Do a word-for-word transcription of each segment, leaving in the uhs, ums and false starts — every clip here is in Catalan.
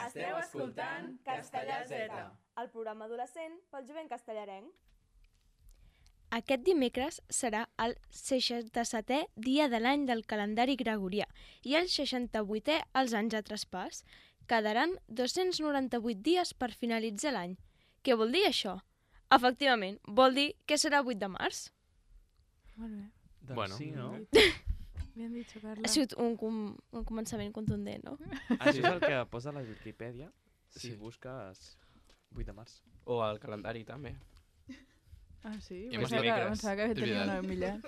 Esteu escoltant Castellà Z, el programa adolescent pel jovent castellarenc. Aquest dimecres serà el seixanta-setè dia de l'any del calendari gregorià i el seixanta-vuitè als anys de traspàs. Quedaran dos-cents noranta-vuit dies per finalitzar l'any. Què vol dir això? Efectivament, vol dir que serà vuit de març. Molt bé. Doncs bueno. Sí, no? Ben dit, Carla. Ha sigut un, com, un començament contundent, no? Això és el que posa a la Wikipedia si Sí. busques vuit de març. O al calendari, també. Ah, sí? I Pensava que, dimecres. pensava que És tenia veritat. una veu brillant.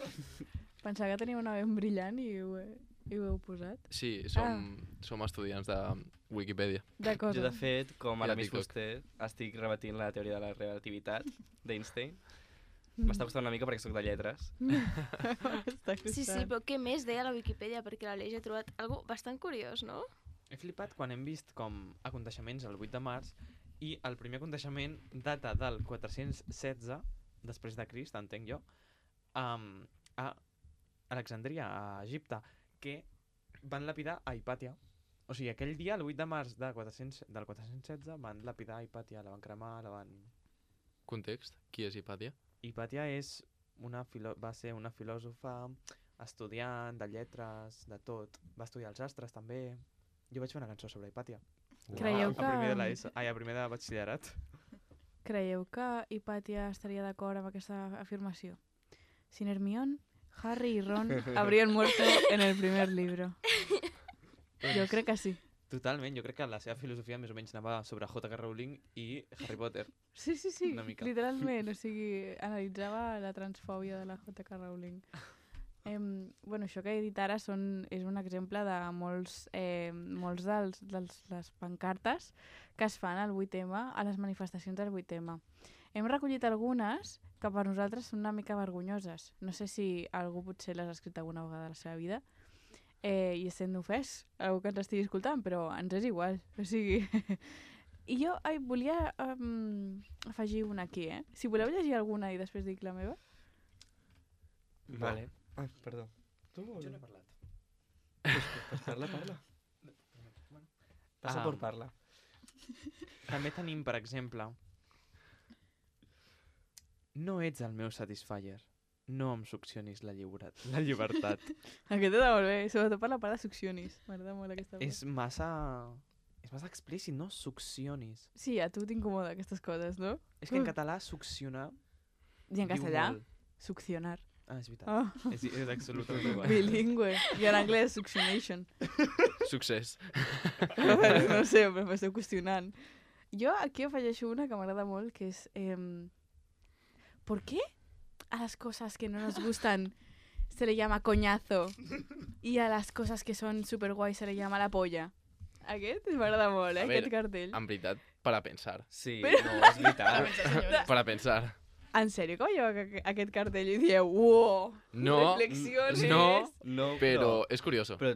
Pensava que tenia una veu brillant i ho, he, i ho heu posat. Sí, som, som estudiants de Wikipedia. D'acord. Jo, de fet, com I ara de Miss TikTok. Fuster, estic rebatint la teoria de la relativitat d'Einstein. M'està costant una mica perquè sóc de lletres. Està Sí, sí, però què més deia la Wikipedia? Perquè l'Aleix ha trobat algo bastant curiós, no? He flipat quan hem vist com aconteixements el vuit de març i el primer aconteixement data del quatre-cents setze després de Crist, entenc jo, um, a Alexandria, a Egipte, que van lapidar a Hipàtia. O sigui, aquell dia, el vuit de març de quatre-cents, del quatre-cents setze, van lapidar a Hipàtia, la van cremar, la van... Context, qui és Hipàtia? Hipàtia és una filo... va ser una filòsofa, estudiant de lletres, de tot. Va estudiar els astres, també. Jo vaig fer una cançó sobre Hipàtia. Creieu A primer de que- l'ESO, ai, a primer de batxillerat. Creieu que Hipàtia estaria d'acord amb aquesta afirmació? Sin Hermione, Harry y Ron habrían muerto en el primer libro. Jo crec que sí. Totalment, jo crec que la seva filosofia més o menys anava sobre J K Rowling i Harry Potter. Sí, sí, sí, Una mica. literalment, o sigui, analitzava la transfòbia de la J K Rowling. Em, bueno, això que he dit ara són, és un exemple de molts, eh, molts dels, dels les pancartes que es fan al vuit eme, a les manifestacions del vuit eme. Hem recollit algunes que per nosaltres són una mica vergonyoses. No sé si algú potser les ha escrit alguna vegada a la seva vida eh, i sent ofès, algú que ens estigui escoltant, però ens és igual. O sigui... I jo ai, volia um, afegir una aquí, eh? Si voleu llegir alguna i després dic la meva. Vale. Ah, perdó. Tu o Jo no? no he parlat. Pues, pues parla, parla. Passa Ah. por parla. També tenim, per exemple, no ets el meu satisfyer. No em succionis la, lliuret, la llibertat. Aquest està molt bé, sobretot per la part de succionis. M'agrada molt aquesta part. és massa... És massa explícit, no? Succionis. Sí, a tu t'incomoda aquestes coses, no? És que en català succionar... I en diu castellà, molt. succionar. Ah, és veritat. Oh. És, és absolutament igual. Bilingüe. I en anglès, succionation. Succés. No sé, però m'esteu qüestionant. Jo aquí afegeixo una que m'agrada molt, que és... Eh, ¿Por qué a las cosas que no nos gustan se le llama coñazo y a las cosas que son superguai se le llama la polla? Aquest m'agrada molt, eh, A aquest veure, cartell. En veritat, per a pensar. Sí, Però- no, és veritat. Per a pensar. En sèrio que veieu aqu- aquest cartell i dieu, uau, No, reflexiones? no, No, però és curioso. Però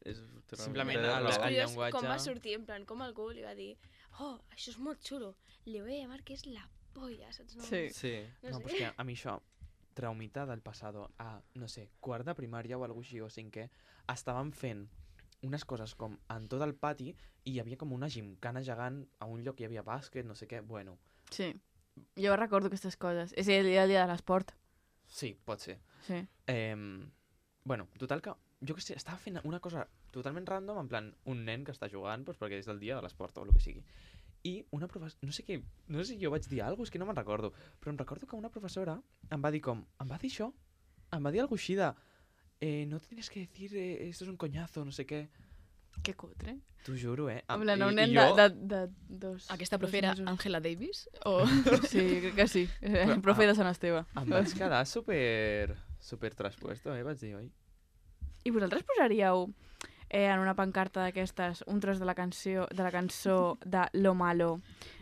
és... Simplement té el- raó. el És curiós llenguatge- com va sortir, en plan, com algú li va dir oh, això és molt xulo, li voy a llamar que és la polla, saps? No? Sí. Sí. No, No, sé. però és que a mi això, traumita del passado a, no sé, quart de primària o alguna així, o cinquè, estaven fent unes coses com en tot el pati i hi havia com una gimcana gegant a un lloc, hi havia bàsquet, no sé què, bueno, Sí. Jo recordo aquestes coses. És el dia, el dia de l'esport. sí, pot ser. Sí. Eh, bueno, total que, jo que sé, estava fent una cosa totalment random, en plan, un nen que està jugant doncs, perquè és el dia de l'esport o el que sigui. I una professora, no sé què, no sé si jo vaig dir alguna cosa, és que no me'n recordo, però em recordo que una professora em va dir com, em va dir això, em va dir alguna així de, eh, no tienes que decir, eh, esto es un coñazo, no sé què. Que cutre. T'ho juro, eh? En plan, un I- nen i de, jo- de, de dos... Aquesta dos profe era mesos. Angela Davis? O... Sí, crec que sí. Però, El profe ah, de Sant Esteve. Em vaig quedar super, super traspuesto, eh? Vaig dir, oi? I vosaltres posaríeu eh, en una pancarta d'aquestes un tros de la canció de la cançó de Lo Malo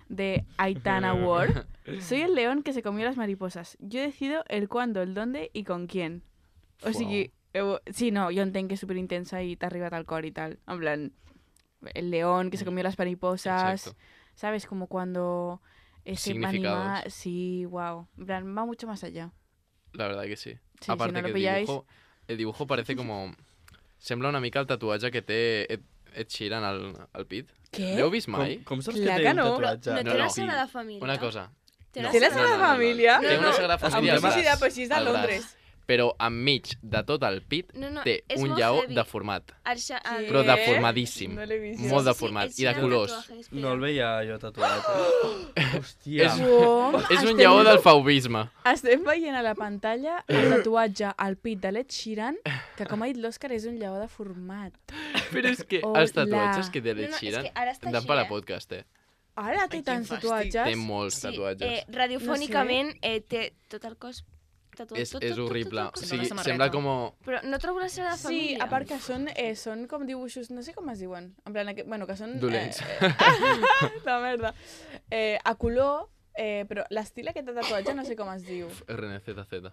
de Aitana Ward? Soy el león que se comió las mariposas. Yo decido el cuándo, el dónde y con quién. O sigui, heu... sí, no, jo entenc que és superintensa i t'ha arribat al cor i tal. En plan, el león que se comió las mariposas. Exacto. ¿Sabes? Como cuando ese Significados. animal... Sí, wow. En plan, va mucho más allá. La verdad que sí. Sí, Aparte si no que lo el pilláis... dibujo, el dibujo parece como... Sembla una mica el tatuatge que té Ed, Ed Sheeran al, al pit. Què? L'heu vist Com, mai? com saps Clar que que té un no. tatuatge? No, No, té la no. Sagrada Família. Una cosa. Té No. la Té la Sagrada Sagrada no, no, no. Família? Té una Sagrada Amb Família la al braç. Publicitat, però així és de al braç. Londres. Però enmig de tot el pit No, no, té és un molt lleó heavy. deformat. El xa- el- Però Què? deformadíssim. No l'he vist. Molt Sí, sí, deformat. Ed I de Sheeran colors. tatuaje, espera. No el veia jo tatuat. Hòstia. És- Com? És un Estem- lleó del faubisme. Estem veient a la pantalla el tatuatge al pit de l'Ed Sheeran, que com ha dit l'Òscar és un lleó deformat. Però és que Hola. els tatuatges que té No, l'Ed no, és Sheeran que ara està dan així, per a eh? podcast, eh? Ara té Ai, tants quin fàstic. tatuatges. Té molts Sí, tatuatges. eh, radiofònicament eh, té tot el cos tatuat. És, tot, és tot, tot, horrible. tot, tot, O tot. Sembla sigui, una sembla samarreta. com... Però no trobo la Sagrada Sí, Família. a part que són, eh, són com dibuixos, no sé com es diuen, en plan, aquest, bueno, que són... Dolents. Eh, eh, la merda. Eh, a color, eh, però l'estil aquest de tatuatge no sé com es diu. R N Z Z.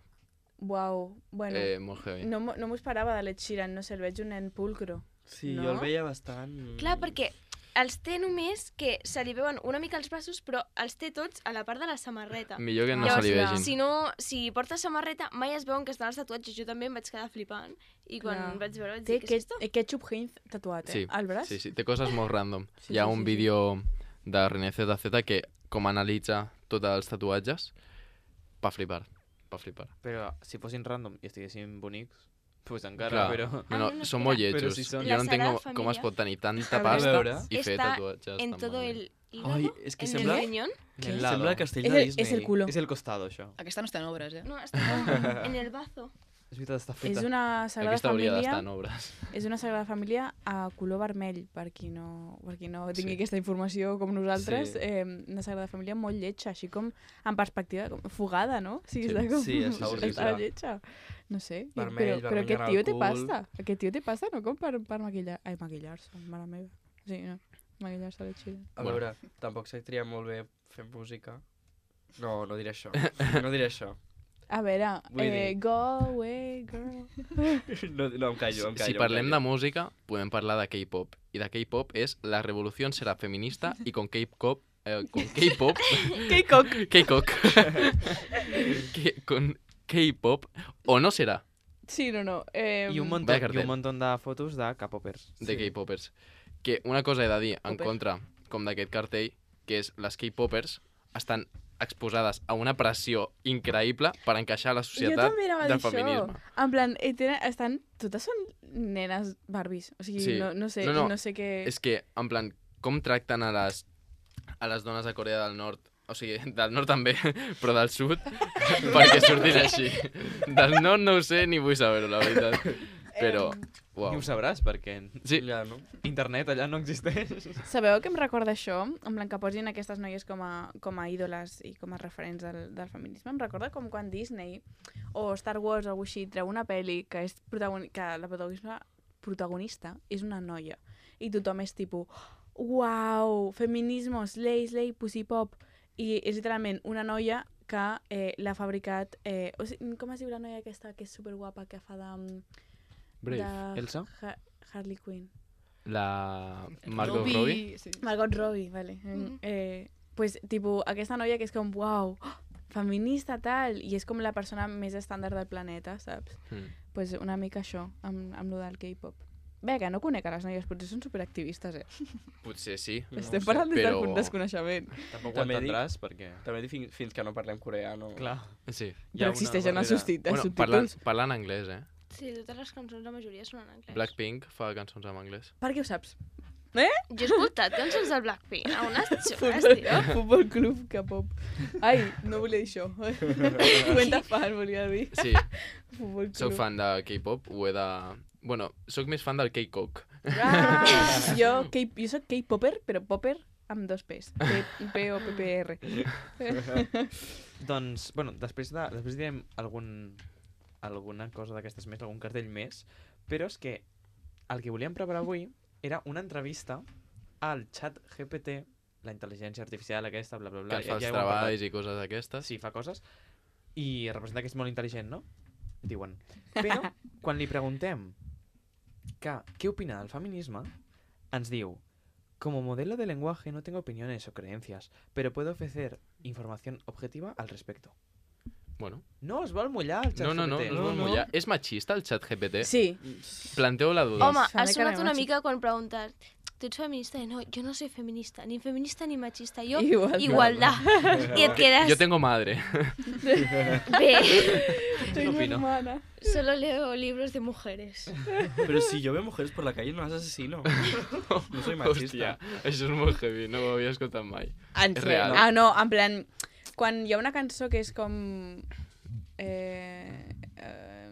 Uau, bueno, Eh, molt heavy. no, m'ho- no m'ho esperava de l'Ed Sheeran, no sé, el veig un nen pulcro. Sí, No? jo el veia bastant... Clar, perquè els té només que se li veuen una mica els braços, però els té tots a la part de la samarreta. Millor que no Llavors, se li clar. vegin. Si no, si porta samarreta, mai es veuen que estan els tatuatges. Jo també em vaig quedar flipant. I quan Clar. vaig veure vaig Té dir, què és aquest, esto? eh, ketchup Heinz tatuat, eh, Sí, al braç. Sí, sí, té coses molt random. Sí, Hi ha sí, un sí, sí. vídeo de René Z Z que com analitza tots els tatuatges, pa flipar, pa flipar. Però si fossin random i estiguessin bonics, pues encara, Clar. però... No, Ah, no, no, no, són espera. molt Però lletjos. si són- Jo La no entenc com, Sagrada com es Família pot tenir tanta A veure. pasta veure. i fer Está tatuatges en tan todo malament. el hígado, Ai, és que en sembla... el riñón. En el lado. Sembla castell És de el, Disney. és el culo. És el costado, això. Aquesta no està en obres, eh? No, està en el bazo. És veritat, està feta. És una Sagrada Aquesta hauria d'estar Família, en obres. és una Sagrada Família a color vermell, per qui no, per qui no tingui Sí. aquesta informació com nosaltres. Sí. Eh, una Sagrada Família molt lletja, així com en perspectiva com fugada, no? O sigui, Sí. està com... Sí, està horrible. Està lletja. No sé, Vermell, però, però vermell aquest en tio el té cul. pasta. Aquest tio té pasta, no com per, per maquillar... Ai, maquillar-se, mare meva. Sí, no, maquillar-se la xila. A Bueno. veure, tampoc se tria molt bé fer música. No, no diré això. No diré això. A veure, Vull eh, dir- go away, girl. No, no em callo, em callo. Si em parlem de callo. música, podem parlar de K-pop. I de K-pop és la revolució serà feminista i con K-pop... Eh, con K-pop... K-cock. K-cock. que, con K-pop o no serà Sí, no, no. Eh, I un, montón, Vaya I cartel. un montón de fotos de K-popers. de K-popers. Que una cosa he de dir en Popers. contra com d'aquest cartell, que és les K-popers estan exposades a una pressió increïble per encaixar a la jo societat també anava a dir del això. feminisme. En plan, eh, tenen, estan, totes són nenes Barbies. O sigui, Sí. no, no sé, No, no, no, no sé què... És que, en plan, com tracten a les, a les dones de Corea del Nord? O sigui, del nord també, però del sud, perquè surtin així. Del nord no ho sé ni vull saber-ho, la veritat. Però, Ni uau. ho sabràs, perquè Sí, Ja, no? internet allà no existeix. Sabeu què em recorda això? En plan, que posin aquestes noies com a, com a ídoles i com a referents del, del feminisme. Em recorda com quan Disney o Star Wars o alguna així treu una pel·li que, és protagoni que la protagonista, protagonista és una noia. I tothom és tipus, uau, feminismo, slay, slay, pussy pop. I és literalment una noia que eh, l'ha fabricat... Eh, o sigui, com es diu la noia aquesta que és superguapa, que fa de... mm, Brave. de Elsa? Ha Harley Quinn. La Margot Robbie, Robbie. Sí. Margot Robbie, vale. Mhm. eh, pues, tipus, aquesta noia que és com, uau, feminista, tal, i és com la persona més estàndard del planeta, saps? Mm. Pues una mica això, amb, amb lo del K-pop. Bé, que no conec a les noies, potser són superactivistes, eh? Potser sí. No Estem ho sé, parlant des del però- punt desconeixement. Tampoc ho També dic- entendràs, perquè... També dic fins, fins que no parlem coreà, no? Clar. Sí. hi ha Però una existeixen els, barrera. subtit els Bueno, parlant, subtítols. parlant anglès, eh? Sí, totes les cançons, la majoria són en anglès. Blackpink fa cançons en anglès. Per què ho saps? Jo he escoltat cançons del Blackpink, a unes xures, Futbol, tio. futbol club K-pop. Ai, no volia dir això. Cuenta fan, volia dir. Sí, Futbol club. sóc fan de K-pop, ho he de... Bueno, sóc més fan del K-Cock. Ah, jo, K jo soc K-popper, però popper amb dos P's. P o P P R. Doncs, bueno, després, de, després direm algun, alguna cosa d'aquestes més, algun cartell més, però és que el que volíem preparar avui era una entrevista al xat G P T, la intel·ligència artificial aquesta, bla, bla, bla. Que et fa els ja ho hem parlat. treballs i coses d'aquestes. Sí, fa coses. I representa que és molt intel·ligent, no? Diuen. Però, quan li preguntem que, què opina del feminisme, ens diu: como modelo de lenguaje no tengo opiniones o creencias, pero puedo ofrecer información objetiva al respecto. Bueno. No es vol mullar el xat No, no, no, G P T. no, no, no. Ja. És machista el xat G P T? Sí. Planteu la duda. Home, Fa ha de sonat cara una de mica quan preguntes tu ets feminista? I no, jo no soy feminista, ni feminista ni machista, jo Igualdad. igualdad. I et quedas... Yo tengo madre. Bé, Tengo opino. hermana. solo leo libros de mujeres. Pero si yo veo mujeres por la calle no las asesino. No soy machista. Hòstia, això és molt heavy, no ho havia escoltat mai. En És sèrio? real. Ah, no, en plan, quan hi ha una cançó que és com... Eh, eh,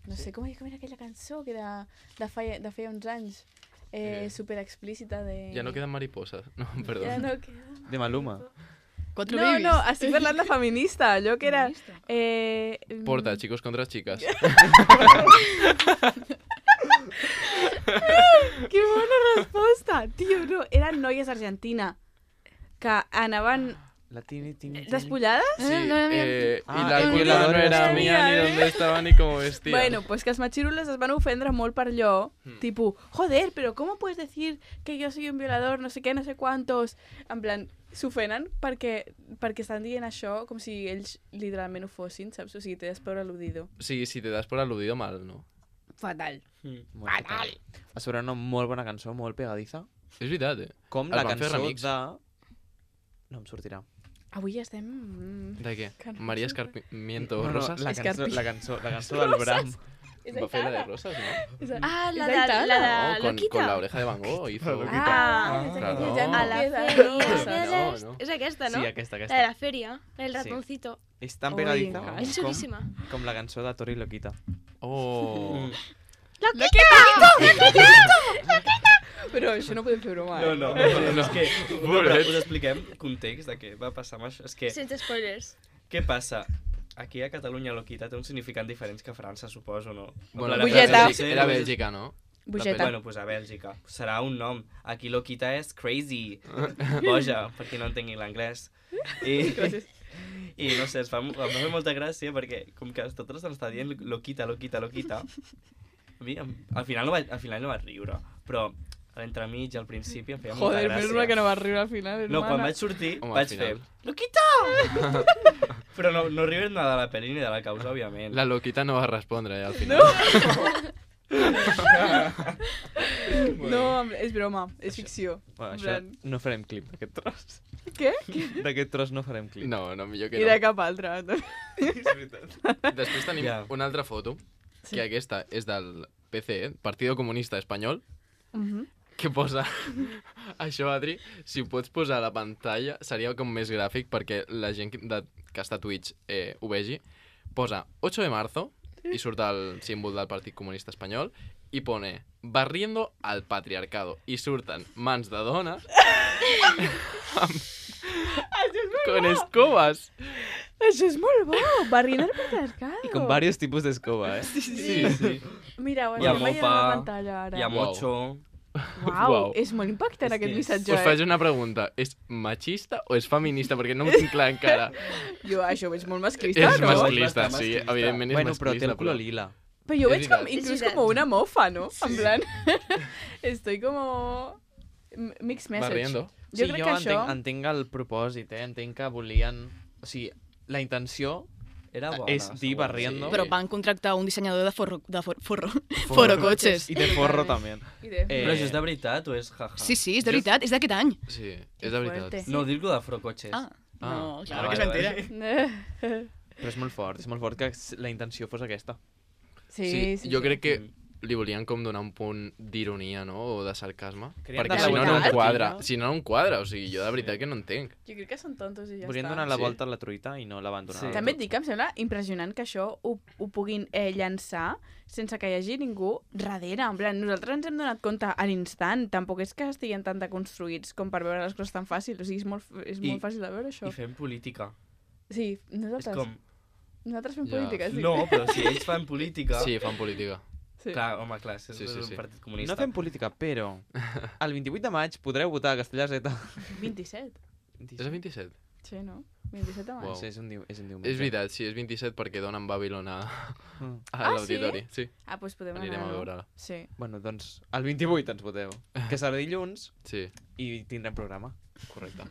no sé, com, com era aquella cançó que era de feia, de feia uns anys, eh, Eh. super explícita de... Ja no queden mariposas. No, perdó. Ja no queda... De Maluma. Quatre No, babies. no, estic parlant de feminista, allò que era... Eh, Porta, chicos contra chicas. Que bona resposta! Tio, no, eren noies argentina que anaven La tini, tini, tini. despullades. Sí, no l'havia eh, Ah, y la el cuerda violador no era era mía, ni mía, dónde estaba, ni cómo vestía. Bueno, pues que els machirules es van ofendre molt per allò, Hmm. tipo, joder, pero ¿cómo puedes decir que yo soy un violador, no sé què, no sé quantos? En plan, s'ofenen perquè, perquè estan dient això com si ells literalment ho fossin, saps? O sigui, te das por aludido. Sí, si te das por aludido, mal, ¿no? Fatal. Molt fatal. A sobre una molt bona cançó, molt pegadiza. És veritat, eh? Com El la van fer cançó remix. de... No em sortirà. Avui estem... mm, De què? Carrasco. María Escarpimiento No, no, Rosas? la, cançó, Escarpi. la, cançó, la cançó del Bram. És Va fer la de Aitana. Rosas, ¿no? És a- Ah, la és de, Aitana. la de No, con, Loquita. con la oreja de Van Gogh hizo... Ah, Ah, claro. ja no A la queda, feria no. de No, l'est. no. És aquesta, no? Sí, aquesta, La de aquesta. la feria, el Sí. ratoncito. És tan Ui, pegadiza m'encanta. És com, xulíssima. com la cançó de Tori Loquita. Oh... Però això no podem fer broma, No, eh? no, no, no, és que Pobret. us expliquem context de què va passar amb això. És que, Sense spoilers. què passa? Aquí a Catalunya Loquita té un significat diferent que a França, suposo, no? Bueno, En plan, a Bugeta. França, Bèlgica, era Bèlgica, no? Bugeta. Bueno, pues a Bèlgica. Serà un nom. Aquí Loquita és crazy. Boja, per qui no entengui l'anglès. I, I no sé, es fa, em va fer molta gràcia perquè com que totes estan dient Loquita, Loquita, Loquita, a mi em- al final no vaig, al final no vaig riure, però a l'entremig, al principi, em feia molta Joder, gràcia. menys mal que no va riure al final, No, quan hermana. vaig sortir, Home, al vaig final. fer Loquita! Però no, no riure nada de la pel·li ni de la causa, òbviament. La loquita no va respondre, eh, al final. No, és broma, és ficció. Bueno, En això plan, no farem clip d'aquest tros. Què? D'aquest tros no farem clip. No, no, millor que I no. de cap altre. És veritat. Després tenim Ja. una altra foto, Sí. que aquesta és del P C E, Partido Comunista Espanyol, Mhm. que posa... Això, Adri, si ho pots posar a la pantalla, seria com més gràfic perquè la gent que, de, que està a Twitch eh, ho vegi. Posa ocho de marzo i surt el símbol del Partit Comunista Espanyol i pone barriendo al patriarcado i surten mans de dones amb... con escobas. Això és molt bo, barrint el patriarcado. I con varios tipus d'escoba, eh? Sí, sí. Mira, ho Hi ha estem veient a mopa, la pantalla ara. Hi ha Uau. mocho... Uau, Uau. és molt impactant És aquest que és- missatge, Us eh? faig una pregunta. És machista o és feminista? Perquè no ho tinc clar encara. Jo això ho veig molt masclista, És no? masclista, Bastant sí. masclista. Evidentment és Bueno, però masclista. té el color lila. Però jo És veig com, veritat. inclús És com una mofa, no? Sí. En plan, estoy como... m- Mixed message. Barriendo. Jo sí, crec jo que entenc, això... entenc el propòsit, eh? Entenc que volien... O sigui, la intenció Era bona, és dir segur. barriendo. Sí. Però van contractar un dissenyador de forro, de for, forro, forro cotxes. I de forro també. I de- Eh, Però això és de veritat o és jaja? Sí, sí, és de veritat, és d'aquest any. Sí, Que és de veritat. fuerte. No, dir-lo de frocotxes. Ah, no, Ah, claro ah, que vale, s'entera. Però és molt fort, és molt fort que la intenció fos aquesta. Sí, Sí, sí, jo sí. crec que li volien com donar un punt d'ironia, no? O de sarcasme. Creen Perquè dar si la no, no volta em a la quadra. tortilla. Si no, no em quadra. O sigui, jo de veritat que no entenc. Jo crec que són tontos i ja Volien està. donar la Sí. volta a la truita i no la van donar. Sí. a la També et volta. dic que em sembla impressionant que això ho, ho puguin eh, llançar sense que hi hagi ningú darrere. En plan, nosaltres ens hem donat compte a l'instant. Tampoc és que estiguin tan deconstruïts com per veure les coses tan fàcil. O sigui, és molt, és I- molt fàcil de veure això. I fem política. Sí, És nosaltres, com... nosaltres fem Ja. política, sí. No, però si ells fan política... Sí, fan política. sí. Clar, home, clar, és Sí, sí, un sí. partit comunista. No fem política, però el vint-i-vuit de maig podreu votar a Castellà Z. vint-i-set. És el vint-i-set? Sí, no? vint-i-set de maig. Uau. Sí, és un, diu, és un diumenge. És veritat, sí, és vint-i-set perquè donen Babylon a, Mm. a Ah, l'auditori. Sí? Ah, doncs podem Anirem anar. a veure-la. Sí. Bueno, doncs el vint-i-vuit ens voteu, que serà dilluns Sí, i tindrem programa. correcte.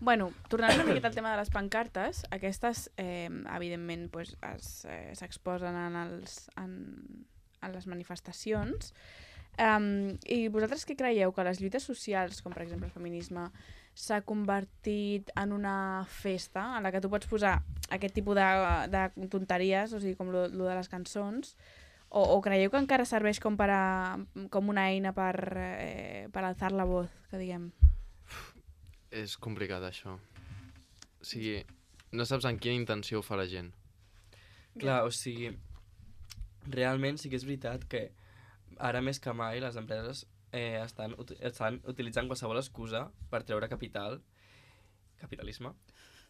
Bueno, tornant una miqueta al tema de les pancartes, aquestes, eh, evidentment, pues, es, eh, s'exposen en, els, en, en les manifestacions. Um, I vosaltres què creieu? Que les lluites socials, com per exemple el feminisme, s'ha convertit en una festa en la que tu pots posar aquest tipus de, de tonteries, o sigui, com lo, lo de les cançons, o, o creieu que encara serveix com, per a, com una eina per, eh, per alçar la voz, que diguem? És complicat, això. O sigui, no saps en quina intenció ho fa la gent. Clar, o sigui, realment sí que és veritat que ara més que mai les empreses eh, estan, ut estan utilitzant qualsevol excusa per treure capital, capitalisme,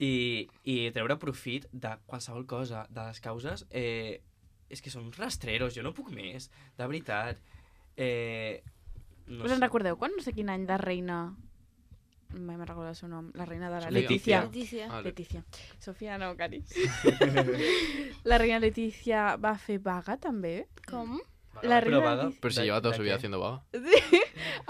i, i treure profit de qualsevol cosa, de les causes. Eh, és que són uns rastreros, jo no puc més, de veritat. Eh, no Us en sé. recordeu quan no sé quin any de reina... Mai me recordo el seu nom. La reina de la Sofia. Letícia. Letícia. Ah, Letícia. Sofia no, Cari. La reina Letícia va fer vaga, també? Com? La Però reina vaga, Letícia... Pero si ¿De- lleva toda de su vida qué? haciendo vaga.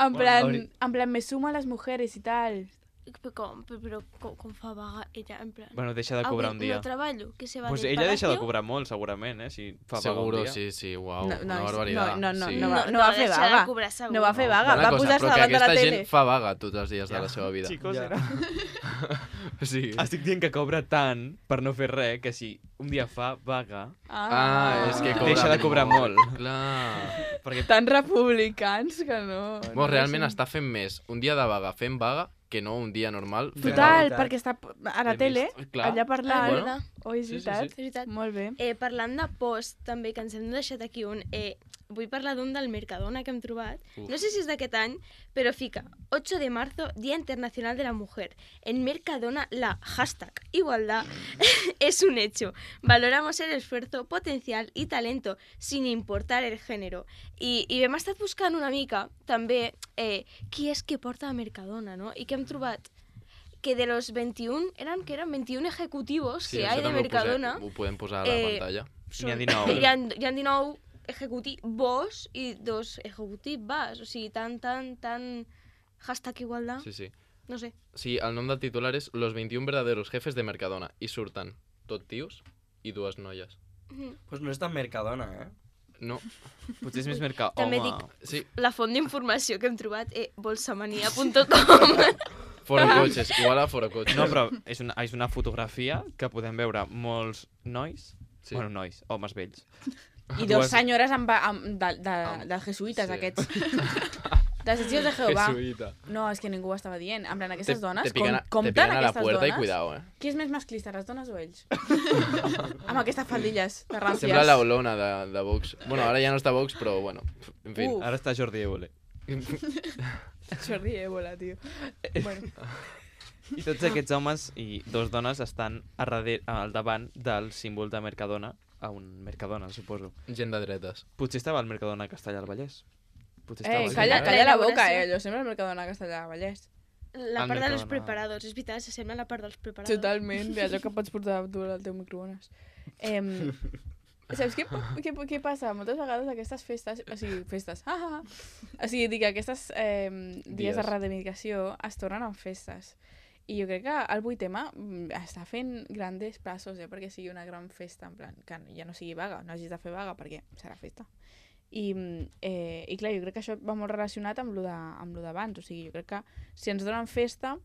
En plan, ahorita- en plan, me sumo a las mujeres y tal. Però com, però, però com, com fa vaga ella, en plan... Bueno, deixa de cobrar un Avui dia. no treballo, que se va Pues del ella deixa de palacio. cobrar molt, segurament, eh? Si fa vaga un Seguro, dia. sí, sí, wow, No, no, una és- barbaridad. no, no, no, sí. no va- no va fer deixarà de vaga. cobrar segur. No va fer vaga, Una va cosa, posar-se però que davant de la aquesta tele. gent fa vaga tots els dies de Ja. la seva vida. Chicos, Ja. era... Sí. Estic dient que cobra tant per no fer res, que si un dia fa vaga, Ah, és que cobra deixa de cobrar molt. Clar. perquè Tan republicans que no... no Bueno, realment deixen. està fent més un dia de vaga fent vaga que no un dia normal fent Total, veritat. perquè està a la He tele, vist, clar. allà parlant. Bueno. Oi, és Sí, sí, veritat? sí. És veritat. Molt bé. Eh, parlant de post, també, que ens hem deixat aquí un... Eh, vull parlar d'un del Mercadona que hem trobat. Uf. No sé si és d'aquest any, però fica ocho de marzo, Día Internacional de la Mujer. En Mercadona, la hashtag igualdad es un hecho. Valoramos el esfuerzo, potencial i talento, sin importar el género. I, i hem estat buscant una mica, també, eh, qui és que porta a Mercadona, no? I que hem trobat que de los veintiún, eran, que eran veintiún ejecutivos Sí, que això hay de també ho posem- Mercadona. Ho podem posar a la Eh, pantalla. N'hi ha dinou. Hi ha, hi ha dinou ejecutivos i dos ejecutivas. O sigui, tan, tan, tan... Hashtag igualdad. Sí, sí. No sé. Sí, el nom del titular és Los veintiún verdaderos jefes de Mercadona. I surten tot tios i dues noies. Mhm. Pues no és tan Mercadona, eh? No, Potser és més mercat. També Home, dic- sí, La font d'informació que hem trobat és bolsamania punt com. fora cotxes, igual a fora cotxes. no, però és una, és una fotografia que podem veure molts nois, Sí. bueno, nois, homes vells. I dos Dues- senyores amb, amb, de, de, Amb- de jesuïtes, sí. aquests. De testigos de Jehovà. Jesuïta. No, és que ningú ho estava dient. En plan, aquestes Te- dones, te pican, a- com, te compten pican a la aquestes puerta dones? i cuidao, eh. Qui és més masclista, les dones o ells? Amb aquestes faldilles de ràncies. Sembla la Olona de, de Vox. Bueno, ara ja no està Vox, però bueno, en fi. Uf. Ara està Jordi Évole. Jordi Ébola, tio. Bueno, I tots aquests homes i dos dones estan a darrere, al davant del símbol de Mercadona, a un Mercadona, suposo. Gent de dretes. Potser estava al Mercadona a Castellà al Vallès. Potser eh, estava calla, allà. calla la boca, elaboració. eh? Jo sempre al Mercadona Castellà Vallès. La Al part dels Mercadona. preparados. És veritat, s'assembla a la part dels preparados. Totalment, allò que pots portar tu al teu microones. Eh, saps què, què, què passa? Moltes vegades aquestes festes, o sigui, festes, ah, ah, ah. O sigui, dic, aquestes eh, dies, Dies. de reivindicació es tornen en festes. I jo crec que el vuit ema mm, està fent grandes passos, eh, perquè sigui una gran festa, en plan, que ja no sigui vaga, no hagis de fer vaga, perquè serà festa. I, mm, eh, i clar, jo crec que això va molt relacionat amb lo de, amb lo d'abans, o sigui, jo crec que si ens donen festa,